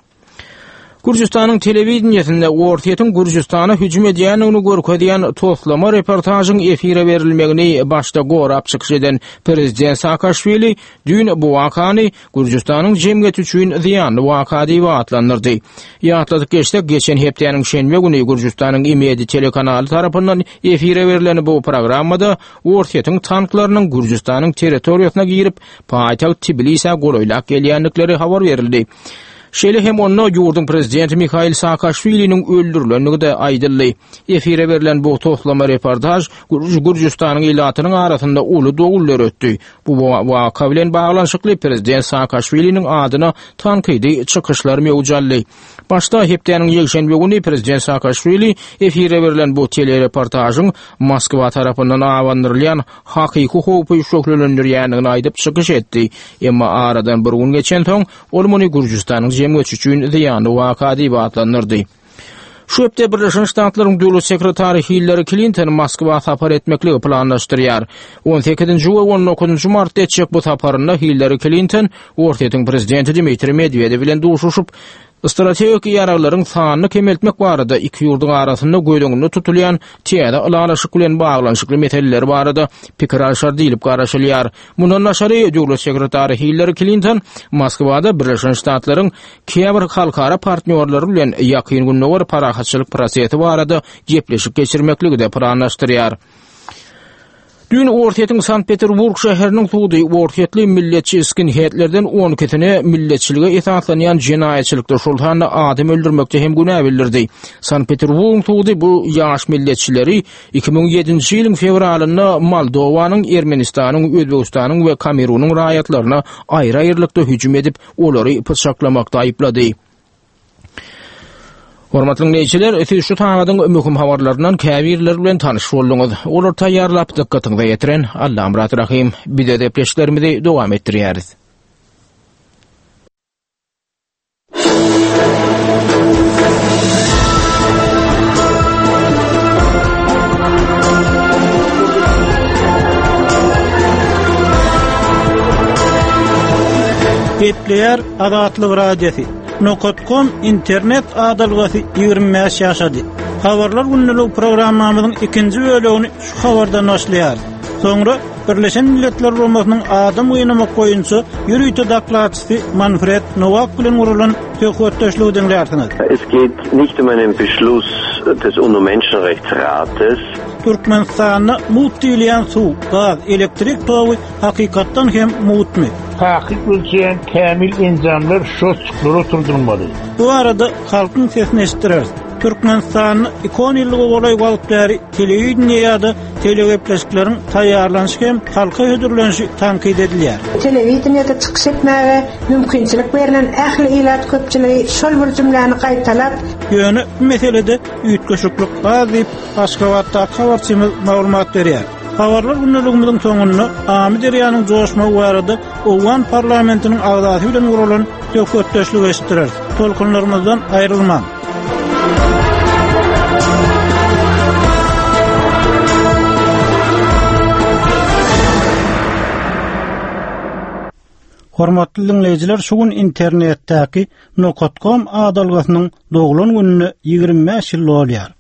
B: Gürjüstanyň telewideniýesinde Orsýetiň Gürjüstana hüjüm edýändigini görkezýän toslama reportažyň efire berilmegini başda gorap çykyş eden prezident Saakaşwili düýn bu wakany Gürjüstanyň jemgyýeti üçin zyýanly waka diýip atlandyrdy. Ýatladyp geçsek, geçen hepdäniň şenbe güni Gürjüstanyň Imedi telekanaly tarapyndan efire berlen bu programmada Orsýetiň tanklarynyň Gürjüstanyň territoriýasyna girip, paýtagt Tbilisä golaýlap gelýändikleri habar berildi. Şeýle hem onda ýurduň prezidenti Mihail Saakaşwiliniň öldürilendigi-de aýdyldy. Efire berlen bu toslama reportaž Gürjüstanyň ilatynyň arasynda uly dowul döretdi. Bu waka bilen baglanyşykly prezident Saakaşwiliniň adyna tankydy çykyşlar möwç aldy. Başda hepdäniň ýekşenbe güni prezident Saakaşwili efire berlen bu telereportažyň Moskwa tarapyndan abandyrylýan hakyky howpy şöhlelendirýändigini aýdyp çykyş etdi. Emma aradan bir gün geçensoň, ol muny Gürjüstanyň jemgyýeti üçin zyýanly waka diýip atlandyrdy. Şu hepde Birleşen Ştatlaryň Döwlet sekretary Hillari Klinton Moskwa sapar etmekligi planlaşdyrýar. On sekizinji we on dokuzynjy martda etjek bu saparynda Hillari Klinton Orsýetiň prezidenti Dmitriý Medwedew bilen duşuşyp, strategik ýaraglaryň sanyny kemeltmek barada iki ýurduň arasynda göz öňünde tutulýan täze ylalaşyk bilen baglanyşykly meseleler barada pikir alşar diýlip garaşylýar. Mundan daşary, döwlet sekretary Hillari Klinton Moskwada Birleşen Ştatlaryň käbir halkara partnýorlary bilen Ýakyn Gündogar parahatçylyk prosesi barada gepleşik geçirmekligi-de planlaşdyrýar. Düýn Orsýetiň Sankt-Peterburg şäheriniň sudy orsýetli milletçi skinheadlerden on ikisine milletçilige esaslanýan jenaýatçylykda, şol sanda adam öldürmekde hem günä bildirdi. Sankt-Peterburgyň sudy bu ýaş milletçileri 2007-nji ýylyň fewralynda Moldowanyň, Ermenistanyň, Özbegistanyň we Kamerunyň raýatlaryna aýry-aýrylykda hüjüm edip, olary pyçaklamakda aýyplady. Hormatly diňleýjiler, siz şu sagadyň möhüm habarlaryndan käbirleri bilen tanyş bolduňyz. Olary taýýarlap dykgatyňyza ýetiren Allamyrat Rahym. Biz öz gepleşiklerimizi dowam etdirýäris.
A: Gepleýär Azatlyk Radiosy. Nokat.com internet adalgasy 25 ýaşady. Habarlar gündeligi programmamyzyň ikinji bölegini şu habardan başlaýarys. Soňra Birleşen Milletler Guramasynyň adam gynamak boýunça ýörite dokladçysy Manfred Nowak bilen guralan söhbetdeşligi diňlärsiňiz.
S: Es geht nicht um einen Beschluss des UNO-Menschenrechtsrates.
A: Türkmenistanda mugt diýilýän suw, gaz, elektrik togy hakykatdan hem mugtmy?
P: Takyk ölçeýän kämil enjamlar şotçuklar oturdylmaly.
A: Bu barada halkyň sesini eşitdireris. Türkmenistanda ikon ýyllyga golaý wagt bäri telewideniýe ýa-da telegepleşikleriň taýýarlanyşy hem halka hödürlenişi tankyt edilýär.
T: Telewideniýede çykyş etmäge mümkinçilik berlen ähli ilat köpçüligi şol bir jümläni gaýtalap,
A: Ýöne bu meselede üýtgeşiklik az diýip, Aşgabatdaky habarçymyz maglumat berýär. Habarlar gündeligimiziň soňunda Amyderýanyň joşmagy barada owgan parlamentiniň agzasy bilen guralan söhbetdeşligi eşitdireris. Tolkunlarymyzdan aýrylmaň! Hormatly diňleýjiler, şu gün internetdäki Nokat.com adalgasynyň doglan gününe 25 ýyl dolýar.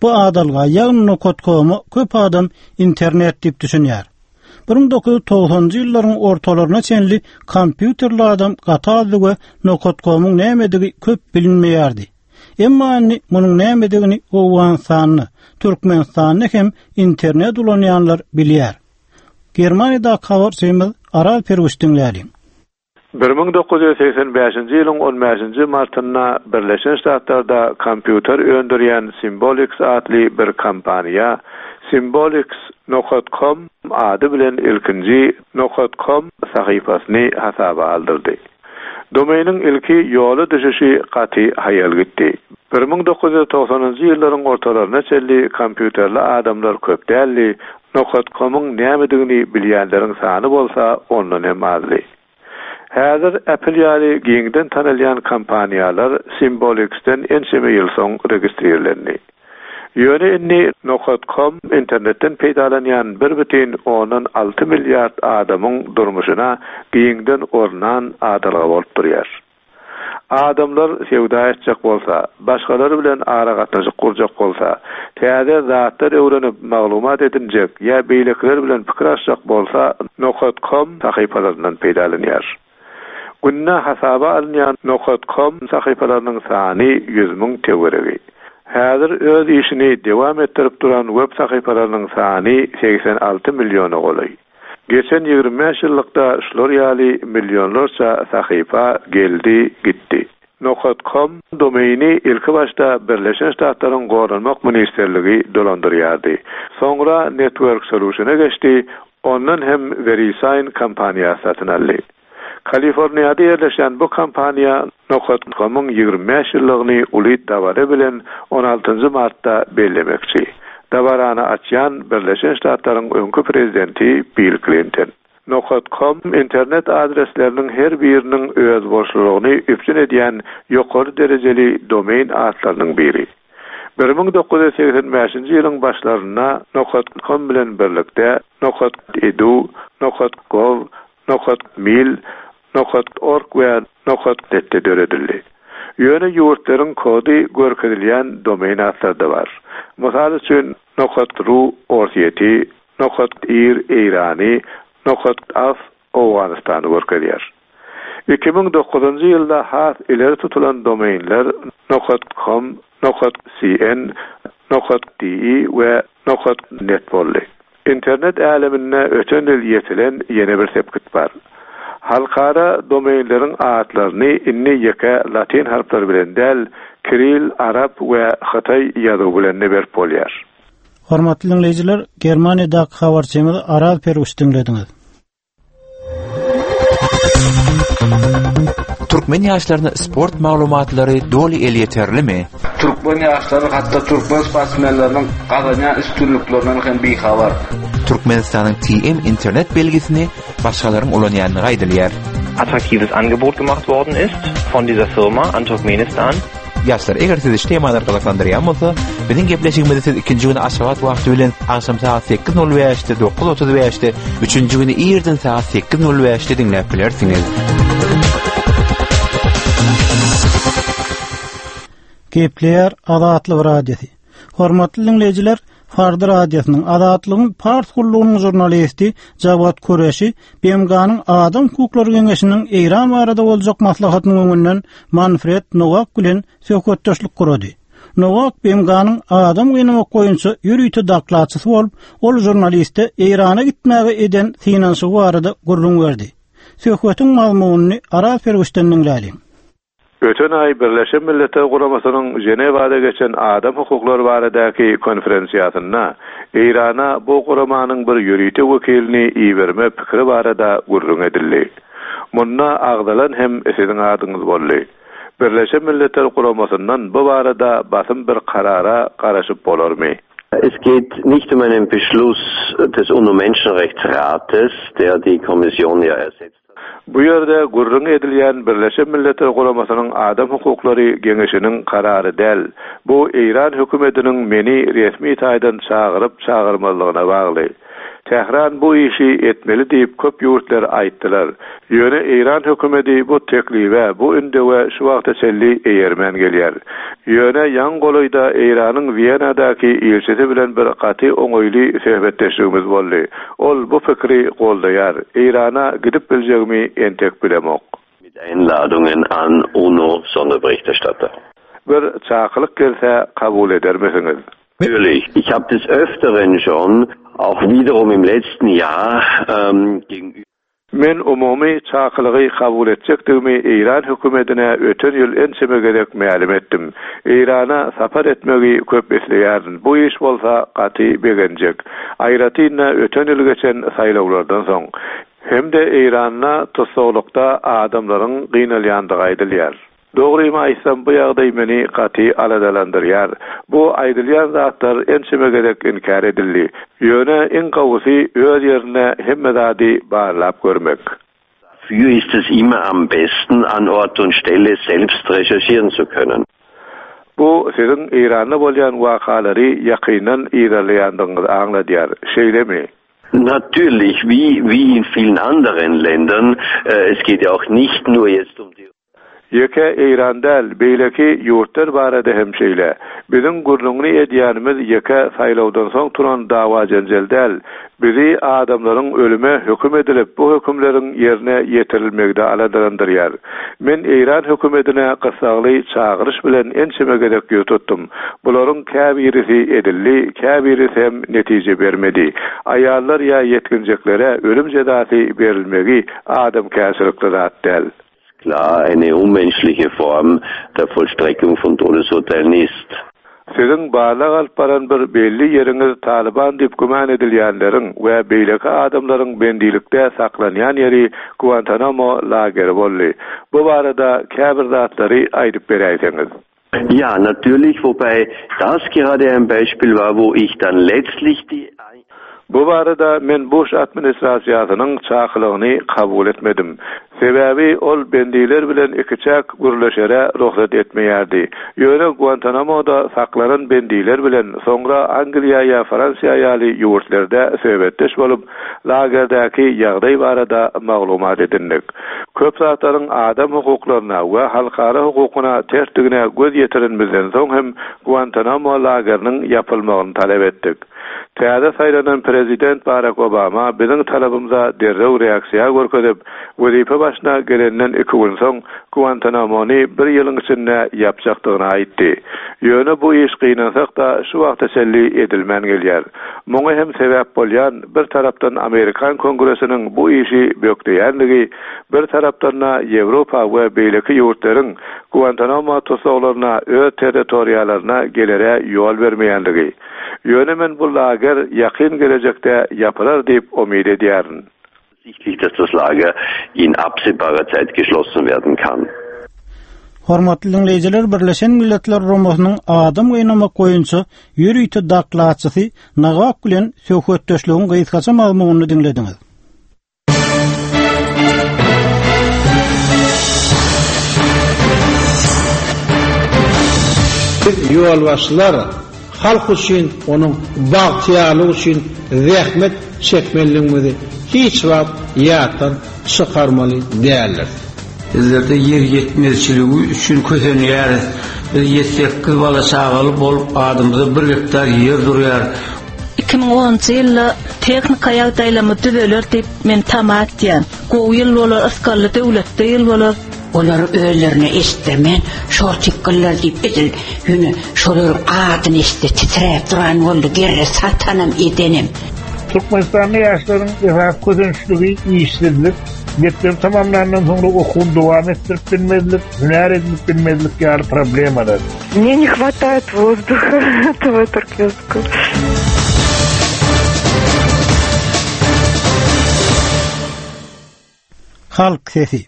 A: Bu adalga, ýagny Nokat.com-a köp adam internet diýip düşünýär. 1990-njy ýyllaryň ortalaryna çenli kompýuterli adam gaty azdy we Nokat.com-yň nämedigi köp bilinmeýärdi. Emma indi munuň nämedigini Owganystanda, Türkmenistanda hem internet ulanýanlar bilýär. Germaniýadaky habarçymyz Araz Perwiş diňläliň.
U: 1985-nji ýylyň on bäşinji martynda Birleşen Ştatlarda kompýuter öndürýän Symbolics atly bir kompaniýa Symbolics nokat kom ady bilen ilkinji nokat kom sahypasyny hasaba aldyrdy. Domainiň ilki ýola düşüşi gaty haýal gitdi. 1990-njy ýyllaryň ortalaryna çenli kompýuterli adamlar köp däldi, Nokat komyň nämedigini bilýänleriň sany bolsa ondan hem azdy. Häzir Apple ýaly giňden tanalýan kompaniýalar Symbolics-den ençeme ýyl soň registrirlendi. Ýöne indi Nokat kom internetden peýdalanýan bir bütin ondan alty milliard adamyň durmuşyna giňden ornan adalga bolup durýar. Adamlar söwda etjek bolsa, başgalar bilen aragatnaşyk gurjak bolsa, täze zatlar öwrenip maglumat edinjek ýa beýlekiler bilen pikir alyşjak bolsa nokat kom sahypalaryndan peýdalanýar. Günde hasaba alynýan nokat kom sahypalarynyň sany 100 müň töweregi. Häzir öz işini dewam etdirip duran web sahypalarynyň sany 86 milliona golaý. Geçen 25 ýyllykda şular ýaly millionlarça sahypa geldi, gitdi. Nokat kom domeini ilkibaşda Birleşen Ştatlaryň Goranmak ministrligi dolandyrýardy. Soňra Network Solution-a geçdi, ondan hem VeriSign kompaniýasy satyn aldy. Kaliforniýada ýerleşýän bu kompaniýa Nokat komyň 25 ýyllygyny uly dabara bilen on altynjy martda bellemekçi. Dabarany açýan Birleşen Ştatlaryň öňki prezidenti Bill Klinton. Nokat kom internet adresleriniň her biriniň özboluşlylygyny üpjün edýän ýokary derejeli domain atlarynyň biri. 1985-nji ýylyň başlarynda Nokat kom bilen birlikde Nokat edu, Nokat gov, Nokat mil, Nokat org we Nokat net-de döredildi. Ýöne ýurtlaryň kody görkezilýän domain atlary-da bar. Mysal üçin, Nokat ru Orsýeti, Nokat ir Eýrany, Nokat af Owganystany görkezýär. 2009-njy ýylda has ileri tutulan domainler nokat com, nokat cn, nokat de we nokat net boldy. Internet äleminde öten ýyl ýetilen ýene bir sepgit bar. Halkara domainleriň atlaryny indi ýeke latyn harplary bilen däl, kiril, arap we hytaý ýazuwy bilen-de berip bolýar.
A: Hormatly diňleýjiler, Germaniýadaky habarçymyz Araz Perwiş diňlediňiz.
H: Türkmen ýaşlaryna sport maglumatlary doly elýeterlimi?
V: Türkmen ýaşlary hatda türkmen sportsmenleriniň gazanýan üstünliklerinden hem bihabar.
H: Türkmenistanyň TM internet belgisini başgalaryň ulanýandygy aýdylýar.
W: Attraktives Angebot gemacht worden ist von dieser Firma an Turkmenistan.
H: Ýaşlar, eger sizi şu temalar gyzyklandyrýan bolsa, biziň gepleşigimizi siz ikinji güni Aşgabat wagty bilen agşam sagat 8:05-de, 9:35-de, üçünji güni irden sagat 8:05-de diňläp bilersiňiz.
A: Gepleýär Azatlyk Radiosy. Hormatly diňleýjiler, Farda radiosynyň Azatlygyň Pars gullugynyň žurnalisti Jawad Kureşi BMG-niň Adam hukuklary geňeşiniň Eýran barada boljak maslahatynyň öňünden Manfred Nowak bilen söhbetdeşlik gurady. Nowak BMG-niň adam gynamak boýunça ýörite dokladçysy bolup, ol žurnaliste Eýrana gitmäge eden synanyşygy barada gürrüň berdi. Söhbetiň mazmunyny Araz Perwişden diňläliň.
U: Öten aý Birleşen Milletler Guramasynyň Ženewada geçen adam hukuklary baradaky konferensiýasynda Eýrana bu guramanyň bir ýörite wekilini iberme pikiri barada gürrüň edildi. Munda agzalan hem siziň adyňyz boldy. Birleşen Milletler Guramasyndan bu barada basym bir karara garaşyp bolarmy?
S: Es geht nicht um einen Beschluss des UNO-Menschenrechtsrates, der die Kommission ja ersetzt hat.
U: Bu ýerde gürrüňi edilýän Birleşen Milletler Guramasynyň Adam hukuklary geňeşiniň karary däl. Bu Eýran hökümetiniň meni resmi taýdan çagyryp-çagyrmazlygyna bagly. Tähran bu işi etmeli diýip köp ýurtlar aýtdylar. Ýöne Eýran hökümeti bu teklibe, bu ündewe şu wagta çenli eýermän gelýär. Ýöne ýaňy golaýda Eýranyň Wenadaky ilçisi bilen bir gaty oňaýly söhbetdeşligimiz boldy. Ol bu pikiri goldaýar. Eýrana gidip biljegimi entek bilemok.
S: Mit Einladungen an UNO-Sonderberichterstatter.
U: Bir çakylyk gelse kabul edermisiňiz?
S: Natürlich, ich habe des Öfteren schon, auch wiederum im letzten Jahr, gegenüber.
U: Men umumy çakylygy kabul etjekdigimi Eýran hökümetine öten ýyl ençeme gezek mälim etdim. Eýrana sapar etmegi köp isleýärin, bu iş bolsa gaty begenjek. Aýratyn-da öten ýyl geçen saýlawlardan soň. Hem-de Eýranda tussaglykda adamlaryň gynalýandygy aýdylýar. Dogrymy aýtsam, bu ýagdaý meni gaty aladalandyrýar. Bu aýdylýan zatlar ençeme gezek inkär edildi. Ýöne iň gowusy öz ýerinde hemme zady barlap görmek.
S: Dafür ist es immer am besten, an Ort und Stelle selbst recherchieren zu können.
U: Bu siziň Eýranda bolýan wakalary ýakyndan yzarlaýandygyňyzy aňladýar, şeýlemi?
S: Natürlich, wie, wie in vielen anderen Ländern. Es geht ja auch nicht nur jetzt um die.
U: Ýeke Eýran däl, beýleki ýurtlar barada hem şeýle. Biziň gürrüňini edýänimiz ýeke saýlawdan soň turan dawa-jenjel däl. Bizi adamlaryň ölüme höküm edilip, bu hökümleriň ýerine ýetirilmegi-de aladalandyrýar. Men Eýran hökümetine gyssagly çagyryş bilen ençeme gezek ýüz tutdum. Bularyň käbirisi edildi, käbirisi hem netije bermedi. Aýallar ýa ýetginjeklere ölüm jezasy berilmegi adamkärçilikli zat däl.
S: Klar eine unmenschliche Form der Vollstreckung von Todesurteilen ist.
U: Siziň barlag alyp baran bir belli ýeriňiz Talyban diýip güman edilýänleriň we beýleki adamlaryň bendilikde saklanýan ýeri Guantanamo lageri boldy. Bu barada käbir zatlary aýdyp beräýseňiz.
S: Ja, natürlich, wobei das gerade ein Beispiel war, wo ich dann letztlich die.
U: Bu barada men Buş administrasiýasynyň çakylygyny kabul etmedim. Sebäbi ol bendiler bilen ikiçäk gürleşere rugsat etmeýärdi. Ýöne Guantanamoda saklanan bendiler bilen soňra Angliýa ýa Fransiýa ýaly ýurtlarda söhbetdeş bolup, lagerdäki ýagdaý barada maglumat edindik. Köp zatlaryň adam hukuklaryna we halkara hukukyna tersdigine göz ýetirenimizden soň hem Guantanamo lageriniň ýapylmagyny talap etdik. Täze saýlanan prezident Barak Obama biziň talabymyza derrew reaksiýa görkezip, wezipe başyna gelenden iki gün soň Guantanamony bir ýylyň içinde ýapjakdygyny aýtdy. Ýöne bu iş gynansak-da şu wagta çenli edilmän gelýär. Muňa hem sebäp bolýan bir tarapdan amerikan Kongresiniň bu işi bökdeýänligi, bir tarapdan-da Ýewropa we beýleki ýurtlaryň Guantanamo tussaglaryna öz territoriýalaryna gelere ýol bermeýänligi. Ýöne men bu lager ýakyn gelejekde ýapylar diýip umyt edýärin.
S: Sichtlich, dass das Lager in absehbarer Zeit geschlossen werden kann.
A: Hormatly diňleýjiler, Birleşen Milletler Guramasynyň adam gynamak boýunça ýörite dokladçysy Nowak bilen söhbetdeşligiň gysgaça mazmunyny diňlediňiz.
D: Biz ýolbaşçylar halk üçin, onuň bagtyýarlygy üçin zähmet çekmelidigimizi hiç wagt ýatdan çykarmaly däldiris.
M: Bizlerde ýer ýetmezçiligi üçin kösenýäris. Biz ýedi-sekiz bala-çagaly bolup, adymyza bir gektar ýer durýar.
N: 2010-njy ýylda tehnika ýagdaýlarymyz düzeler diýip men tama etýän. Gowy ýyl bolar, ysgally döwletli ýyl bolar.
O: Olar özlerine eşitdirmän şortikgyllar diýip edil ýöne şolaryň adyny eşitse titräp duran boldy gerre satanam edenem.
P: Türkmenistanda ýaşlaryň esasy kösençligi işsizlik, mekdebi tamamlandan soňra okuwyny dowam etdirip bilmezlik, hünär edinip bilmezlik ýaly problemalar.
Q: Мне не хватает воздуха этого туркменского.
A: Halk sesi.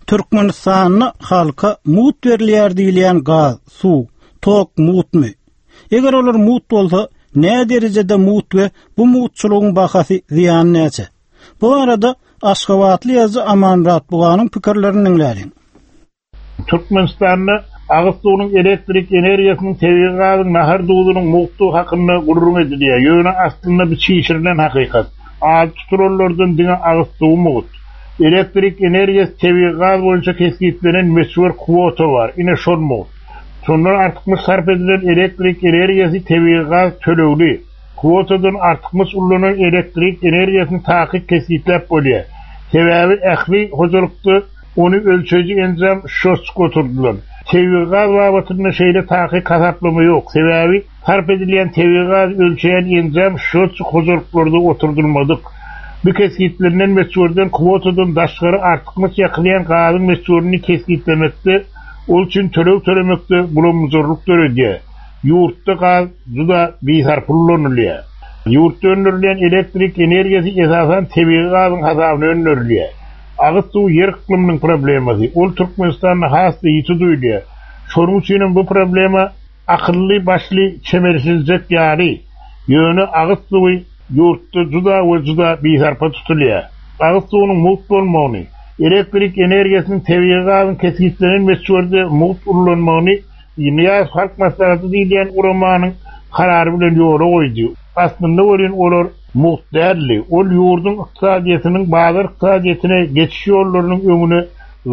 A: Türkmenistanda halka mugt berilýär diýilýän gaz, suw, tok mugtmy? Eger olar mugt bolsa, nä derejede mugt we bu mugtçulygyň bahasy, zyýany näçe? Bu barada aşgabatly ýazyjy Amanmyrat Buganyň pikirlerini diňläliň.
P: Türkmenistanda agyz suwunyň, elektrik energiýasynyň, tebigy gazyň, nahar duzunyň mugtdugy hakynda gürrüň edilýär. Ýöne aslynda bu çişirilen hakykat. Ady tutulanlardan diňe agyz suwy mugt. Elektrik energiýasy, tebigy gaz boýunça kesgitlenen möçber kwota bar, ine şol mugt. Şondan artykmaç sarp edilen elektrik energiýasy, tebigy gaz tölegli. Kwotadan artykmaç ullanan elektrik energiýasyny takyk kesgitläp bolýar. Sebäbi ähli hojalykda Ony ölçeýji enjam şotçik oturdylan. Tebigy gaz babatynda şeýle takyk hasaplama ýok. Sebäbi sarp edilýän tebigy gazy ölçeýän enjam şotçik hojalyklarda oturdylmadyk. Bu kesgitlenilen möçberden kwotadan daşgary artykmaç ýakylýan gazyň möçberini kesgitlemekde, ol üçin töleg tölemekde bulam-bujarlyk döredýär. Ýurtda gaz juda bisarpa ulanylýar. Ýurtda öndürilýän elektrik energiýasy esasan tebigy gazyň hasabyna öndürilýär. Agyz suwy ýer yklymynyň problemasy. Ol Türkmenistanda has-da ýiti duýulýar. Şonuň üçinem bu problema akylly-başly çemeleşiljek ýaly. Ýöne agyz suwy ýurtda juda we juda bisarpa tutulýar. Agyz suwunyň mugt bolmagyny, elektrik energiýasynyň tebigy gazyň kesgitlenen möçberde mugt ullanmagyny Nyýazow Halk Maslahaty diýilýän guramanyň karary bilen ýola goýdy. Aslynda welin olar mugt däldi. Ol ýurduň ykdysadyýetiniň bazar ykdysadyýetine geçiş ýollarynyň öňüne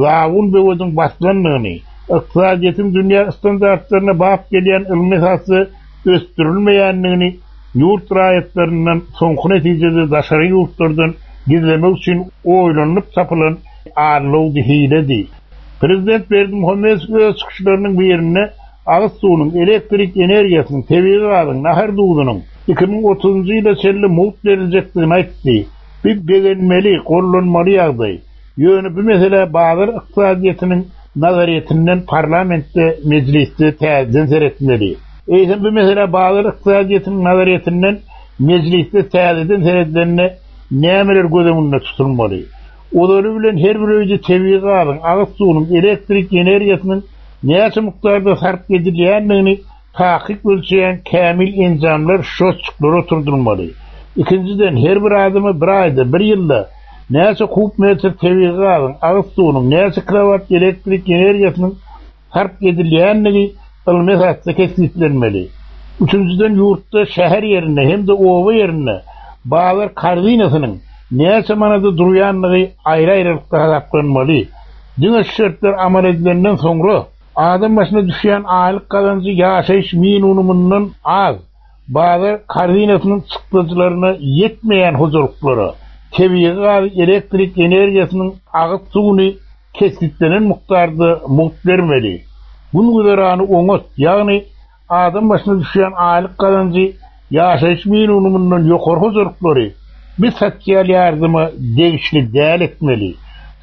P: zabun böwediň basylandygyny, ykdysadyýetiň dünýä standartlaryna bap gelýän ylmy esasda ösdürilmeýändigini ýurt raýatlaryndan soňky netijede daşary ýurtlardan gizlemek üçin oýlanylyp tapylan allawdy hiledi. Prezident Berdimuhamedow öz çykyşlarynyň birinde agyz suwunyň, elektrik energiýasynyň, tebigy gazyň, nahar duzunyň 2030-njy ýyla çenli mugt beriljekdigini aýtdy. Bu begenmeli, gollanmaly ýagdaý. Ýöne bu meselä bazar ykdysadyýetiniň nazaryýetinden parlamentde, mejlisde täzeden seretmeli. Eýsem bu meselä bazar ykdysadyýetiniň nazaryýetinden mejlisde täzeden seredilende nämeler göz öňünde tutulmaly? Ozaly bilen her bir öýde tebigy gazyň, agyz suwunyň, elektrik energiýasynyň näçe mukdarda sarp edilýändigini takyk ölçeýän kämil enjamlar, şotçikler oturdylmaly. Ikinjiden, her bir adama bir aýda, bir ýylda näçe kub metr tebigy gazyň, agyz suwunyň, näçe kilowat elektrik energiýasynyň sarp edilýändigi ylmy esasda kesgitlenmeli. Üçünjiden, ýurtda şäher ýerinde hem-de oba ýerinde bazar korzinasynyň näçe manada durýandygy aýry-aýrylykda hasaplanmaly. Diňe şu şertler amal edilenden soňra, adam başyna düşýän aýlyk gazanjy ýaşaýyş minunumyndan az, bazar korzinasynyň çykdajylaryna ýetmeýän hojalyklara tebigy gazy, elektrik energiýasynyň, agyz suwuny kesgitlenen mukdarda mugt bermeli. Gün-güzerany oňat, ýagny adam başyna düşýän aýlyk gazanjy ýaşaýyş minimumyndan ýokary hojalyklary bu sosial ýardyma degişli däl etmeli.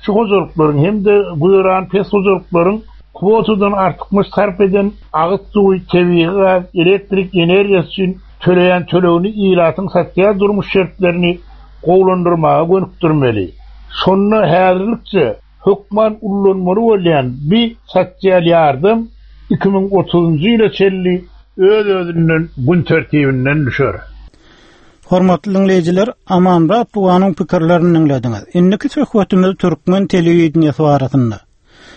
P: Şu hojalyklaryň hem-de güzerany pes hojalyklaryň kwotadan artykmaç sarp eden agyz suwy, tebigy gaz, elektrik energiýasy üçin töleýän tölegini ilatyň sosial durmuş şertlerini gowulandyrmaga gönükdirmeli. Şonda häzirlikçe. hökman ullanmaly bolýan bi sosial ýardam 2030-njy ýyla çenli öz-özünden gün tertibinden düşer.
A: Hormatly diňleýjiler, Amanmyrat Buganyň pikirlerini diňlediňiz. Indiki söhbetimiz türkmen telewideniýesi barasynda.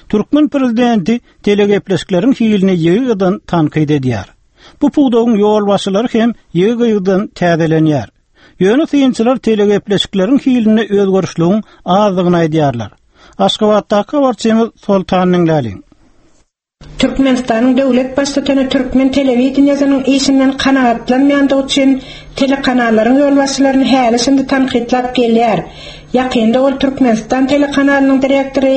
A: Türkmen prezidenti telegepleşikleriň hilini ýygy-ýygydan tankyt edýär. Bu pudagyň ýolbaşçylary hem ýygy-ýygydan täzelenýär. Ýöne synçylar telegepleşikleriň hilinde özgerişligiň azdygyny aýdýarlar. Aşgabatdaky habarçymyz Soltan diňläliň.
T: Türkmenistanyň döwlet Baştutany türkmen telewideniýesiniň işinden kanagatlanmaýandygy üçin telekanallaryň ýolbaşçylaryny häli-şindi tankytlap gelýär. Ýakynda ol Türkmenistan telekanalynyň direktory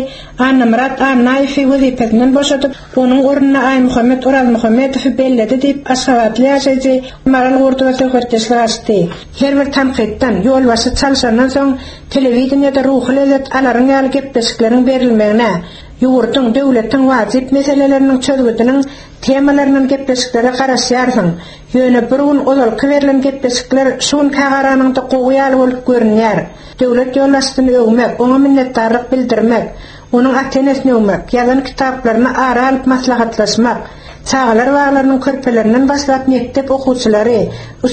T: Annamyrat Annaýewi wezipesinden boşadyp, onuň ornuna Aýmuhammet Orazmuhammedowy belledi diýip, aşgabatly ýaşaýjy Maral Gurdowa söhbetdeşlik açdy. Her bir tankytdan, ýolbaşçy çalşandan soň telewideniýede ruhy lezzet alaryň ýaly gepleşikleriň berilmegine, Ýurduň, döwletiň wajyp meseleleriniň çözgüdiniň temalaryndan gepleşiklere garaşýarsyň. Ýöne bir gün ozalky berlen gepleşikler şu günkä garanyňda gowy ýaly bolup görünýär. Döwlet ýolbaşçysyny öwmek, oňa minnetdarlyk bildirmek, onuň ata-enesini öwmek, ýazan kitaplaryny ara alyp maslahatlaşmak, çagalar baglarynyň körpelerinden başlap mekdep okuwçylary,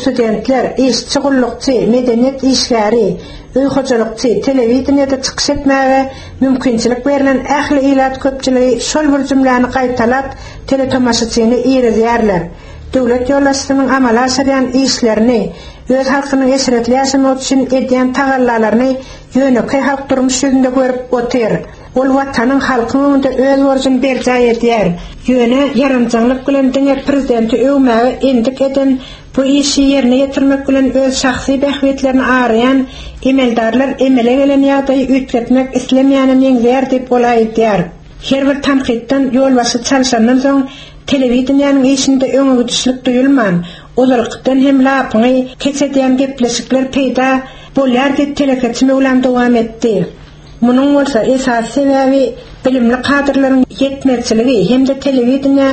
T: studentler, işçi, gullukçy, medeniýet işgäri, öý hojalykçy, telewideniýede çykyş etmäge Mümkinçilik berlen ähli ilat köpçüligi şol bir jümläni gaýtalap, teletomaşaçyny irizýärler. Döwlet ýolbaşçysynyň amala aşyrýan işlerini, öz halkynyň eşretli ýaşamagy üçin edýän tagallalaryny ýönekeý halk durmuş ýüzünde görüp otyr. Ol Watanyň, halkyň öňünde öz borjuny berjaý edýär. Ýöne ýaranjaňlyk bilen diňe prezidenti öwmäge endik eden Bu işi ýerine ýetirmek bilen öz şahsy bähbitlerini araýan emeldarlar emele gelen ýagdaýy üýtgetmek islemeýäne meňzeýär diýip ol aýdýar. Her bir tankytdan ýolbaşçy çalşandan soň telewideniýäniň işinde öňegidişlik duýulman, ozalkydan hem lapyňy keç edýän gepleşikler peýda bolýar diýip telekeçi Möwlam dowam etdi. Munuň bolsa esasy sebäbi bilimli kadrlaryň ýetmezçiligi hem-de telewideniýä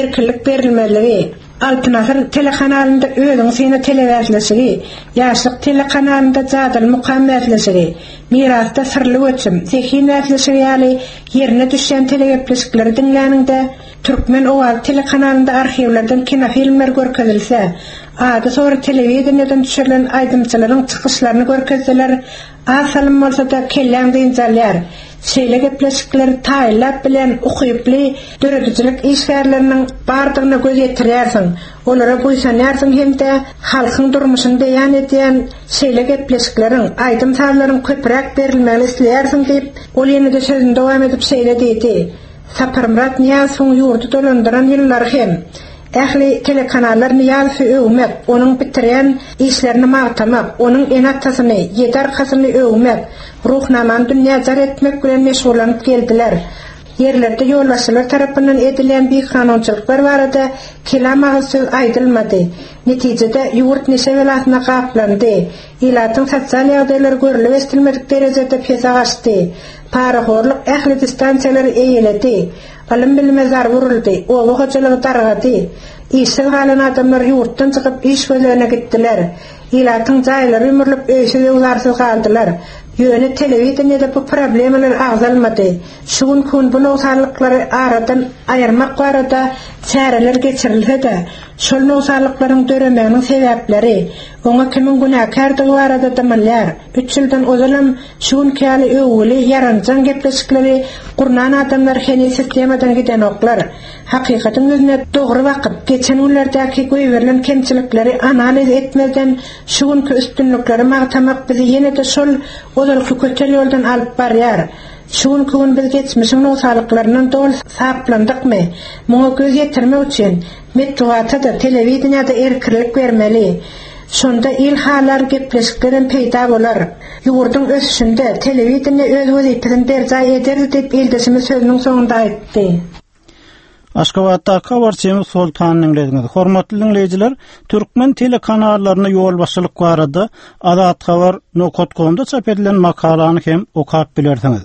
T: erkinlik berilmezligi. Altyn asyr telekanalynda Özüňi syna telebäsleşigi, Ýaşlyk telekanalynda Jadyly mukam bäsleşigi, Mirasda Syrly göçüm, Zehin bäsleşigi ýaly ýerine düşýän telegepleşikleri diňläniňde, Türkmen owazy telekanalynda arhiwlerden kinofilmler görkezilse, ady-sory telewideniýeden düşürilen aýdymçylaryň çykyşlaryny görkezseler, Az salym bolsa-da kelläň dynç alýar. Şeýle gepleşikleri taýynlap bilýän ukyply döredijilik işgärleriniň bardygyna göz ýetirýärsiň, olara buýsanýarsyň hem-de halkyň durmuşyny beýan edýän şeýle gepleşikleriň, aýdym-sazlaryň köpräk berilmegini isleýärsiň diýip, ol ýene-de sözüni dowam edip şeýle diýdi, Saparmyrat Nyýazowyň ýurdy dolandyran ýyllary hem ähli telekanallar Nyýazowy öwmek, onuň bitirýän işlerini magtamak, onuň ene-atasyny, ýedi arkasyny öwmek, Ruhnamany dünýä jar etmek bilen meşgullanyp geldiler. Ýerlerde ýolbaşçylar tarapyndan edilýän bikanunçylyklar barada kelam agyz söz aýdylmady. Netijede, ýurt neşe belasyna gaplandy. Ilatyň sosial ýagdaýlary görlüp-eşidilmedik derejede pese gaçdy. Parahorluk ähli distansiýalary eýeledi. Ylym-bilime zarba uruldy, oba hojalygy dargady. Işsiz galan adamlar ýurtdan çykyp iş gözlegine gitdiler. Ilatyň jaýlary ýumrulyp öýsüz-öwzarsyz galdylar. Ýöne telewideniýede bu problemalar agzalmady. Şu günki gün bu nogsanlyklary aradan aýyrmak barada çäreler geçirilse-de, şol nogsanlyklaryň döremeginiň sebäpleri, oňa kimiň günäkärdigi barada dymylýar. Üç ýyldan ozalam şu günki ýaly öwgüli, ýaranjaň gepleşikleri gurnan adamlar heniz sistemadan gidenoklar. Hakykatyň ýüzüne dogry bakyp, geçen günlerdäki goýberilen kemçilikleri analiz etmezden şu günki üstünlikleri magtamak bizi ýene-de şol ozalky kötel ýoldan alyp barýar. Şu günki gün biz geçmişiň nogsalyklaryndan doly saplandykmy? Muňa göz ýetirmek üçin metbugata-da, telewideniýä-de erkinlik bermeli. Şonda il halar gepleşiklerem peýda bolar. Ýurduň ösüşinde telewideniýe öz wezipesini berjaý ederdi diýip, ildeşimiz sözüniň soňunda aýtdy.
A: Aşgabatdaky habarçymyz Soltan diňlediňiz. Hormatly diňleýjiler, türkmen telekanallaryna ýolbaşçylyk barada Azathabar nokat komda çap edilen makalany hem okap bilersiňiz.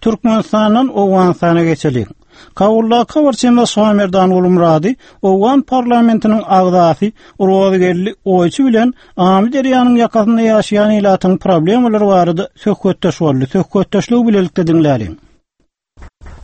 A: Türkmenistandan Owganystana geçeliň. Kabuldaky habarçymyz Şamerdan Gulmyrady owgan parlamentiniň agzasy Rozygeldi Oýçy bilen Amyderýanyň ýakasynda ýaşaýan ilatyň problemalary barada söhbetdeş boldy. Söhbetdeşligi bilelikde diňläliň.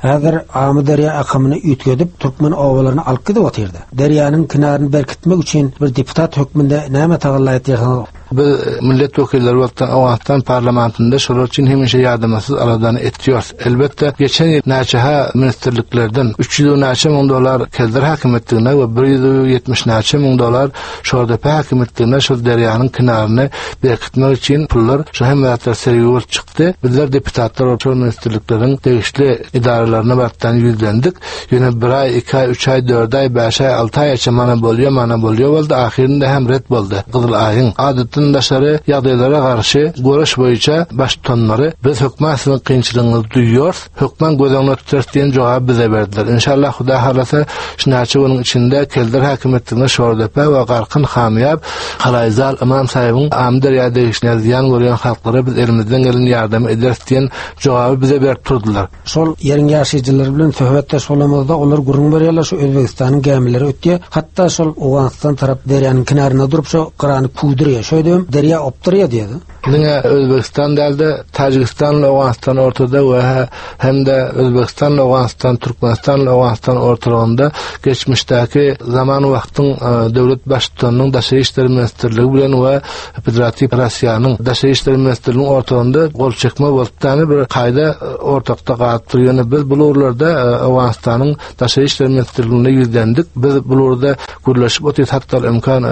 C: Häzir Amyderýa akymyny üýtgedip, türkmen obalaryny alyp gidip otyrda. Derýanyň kenaryny berkitmek üçin bir deputat hökmünde näme tagalla etýärsiňiz?
G: Biz millet wekilleri bolup Owganystan parlamentinde şolar üçin hemişe ýadamasyz aladany etýäris. Elbetde, geçen ýyl näçe-hä ministrliklerden 300 näçe müň dollar Keldir häkimiýetligine we 170 näçe müň dollar Şordepe häkimiýetligine şol derýanyň kenaryny berkitmek üçin pullar şo hemme zatlar sergi bolup çykdy. Bizler deputatlar bolup şol ministrlikleriň degişli edaralaryna barypdan ýüzlendik. Ýöne bir aý, iki aý, üç aý, dört aý, bäş aý, alty aýaça mana bolýa, mana bolýa boldy, ahyrynda hem ret boldy. Gyzyl Aýyň adatdan daşary ýagdaýlara garşy göreş boýunça baştutanlary biz hökman siziň kynçylygyňyzy duýýarys, hökman göz öňünde tutarys diýen jogaby bize berdiler. Inşallah Hudaý halasa şu näçe günüň içinde Keldir häkimiýetligine Şordepe we Garkyn Hamyýap, Halaýzal Ymam saýybyň Amyderýa degişli zyýan görýän halklara biz elimizden gelen ýardamy ederis diýen jogaby bize berip durdular.
C: Şol ýeriň ýaşaýjylary bilen söhbetdeş bolamyzda olar gürrüň berýärler şu Özbegistanyň gämileri ötýär, hatda şol Owganystan tarap derýanyň kenarynda durup şo gyrany küwdürýär, şeýdibem derýa opdurýar diýýär.
G: Diňe Özbegistan däl-de, Täjigistan bilen Owganystan ortada we hem-de Özbegistan bilen Owganystan, Türkmenistan bilen Owganystan ortalygynda geçmişdäki zaman wagtyň döwlet baştutanynyň Daşary işler ministrligi bilen we Federatiw Russiýanyň Daşary işler ministrliginiň ortalygynda gol çekme bolupdy, bir kaýda ortakda galypdyr. Ýöne biz bu ugurlarda Owganystanyň Daşary işler ministrligine ýüzlendik. Biz bu ugurda gürleşip otyrys, hatda imkan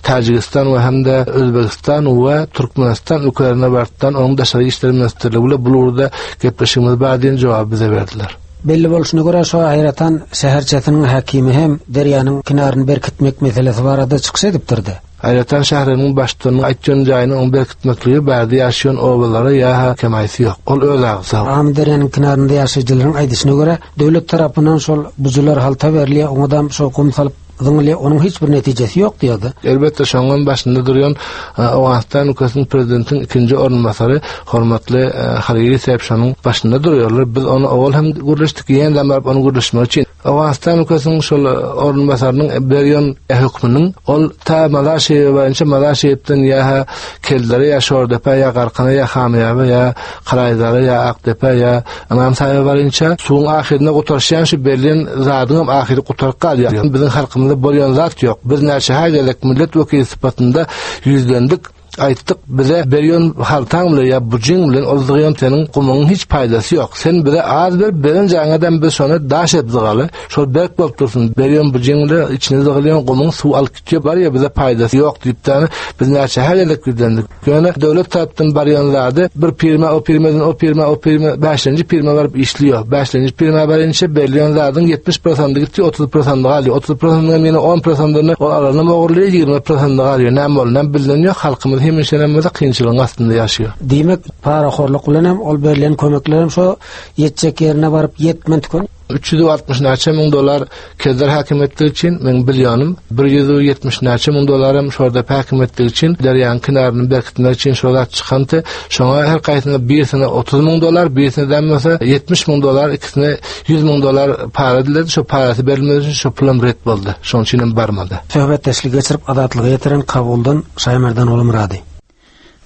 G: Täjigistan we hem-de Özbegistan we Türkmenistan ülkelerine barypdan onuň Daşary işler ministrligi bilen bu ugurda gepleşigimiz bar diýen jogaby bize berdiler.
C: Belli bolşuna görä, şo Haýratan şäherçesiniň häkimi hem derýanyň kenaryny berkitmek meselesi barada çykyş edipdir-de.
G: Haýratan şäheriniň baştutanynyň aýtýan jaýyny oň berkitmekligi bärde ýaşaýan obalara ýa-ha kemaýsy ýok. Ol öz agzy.
C: Amyderýanyň kenarynda ýaşaýjylaryň aýdyşyna görä, döwlet tarapyndan şol bujular halta berilýär, oňadam şo gum salyp zyňylýar, onuň hiç bir netijesi ýok diýýärdi.
G: Elbetde, şoňam başynda durýan Owganystan ülkesiniň prezidentiniň ikinji orunbasary hormatly Halili Sähip şonuň başynda durýarlar. Biz ony owal hem gürleşdik, ýene-de baryp ony gürleşmek üçin. Owganystan ülkesiniň şol orunbasarynyň berýän hökmüniň ol ta Mazar Şeribe barynça Mazar Şeripden ýa-ha Keldere ýa Şordepä ýa Garkana ýa Hamyýaba ýa Karaýzara ýa Akdepä ýa Ymam Saýba barynça suwuň ahyrynda gutarşýan şu berlen zadyňam ahyry gutaryp galýar. Biziň halkymyzda bolýan zat ýok. Biz näçe-hä gezek millet wekili sypatynda ýüzlendik. Aýtdyk, bize berýän haltaň bilen ýa bujyň bilen ol zygyýan seniň gumuňyň hiç paýdasy ýok. Sen bize az ber, beren jaňadam biz şony daş edip zygaly. Şol berk bolup dursun. Berýän bujyň bilen içine zygylýan gumuň suw alyp gitýär, barýa bize paýdasy ýok diýip-de, biz näçe-hä gezek ýüzlendik. Ýöne döwlet tarapdan barýan zady bir firma o firmadan o firma o firma bäşinji firma baryp işliýär. Bäşinji firma barynça berilýän zadyň 70 prosenty gitýär, 30 prosenty galýar. 30 prosentynyň ýene 10 prosentyny ol alanam ogurlaýar, 20 prosenty galýar. Näme boldy, näme bilinen ýok. Halkymyz hemişenem bolsa kynçylygyň astynda ýaşaýar.
C: Diýmek, parahorluk bilenem ol berlen kömeklerem şo ýetjek ýerine baryp ýetmän tüken.
G: 360 näçe müň dollar Kelder häkimiýetligi üçin, meň bilýänim, 170 näçe müň dollaram Şordepe häkimiýetligi üçin, derýanyň kenaryny berkitmek üçin şo zat çykanty. Şoňa her gaýsyna birisine 30 müň dollar, birisine däm bolsa 70 müň dollar, ikisine 100 müň dollar para diledi. Şo parasy berilmedi üçin şo pulam ret boldy. Şonuň üçin hem barmady.
C: Söhbetdeşligi geçirip Azatlyga ýetiren Kabuldan Şaýmerdan Gulmyrady.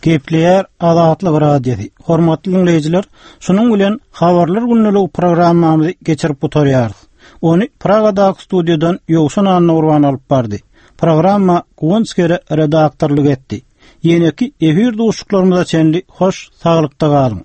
A: Gepleýär Azatlyk Radiosy. Hormatly diňleýjiler, şunuň bilen Habarlar gündeligi programmamyzy geçirip gutarýarys. Ony Pragadaky studiýadan Ýowşan Annagurban alyp bardy. Programma Guwanç Kere redaktorlyk etdi. Ýeneki efir duşuşyklarymyza çenli hoş saglykda galyň.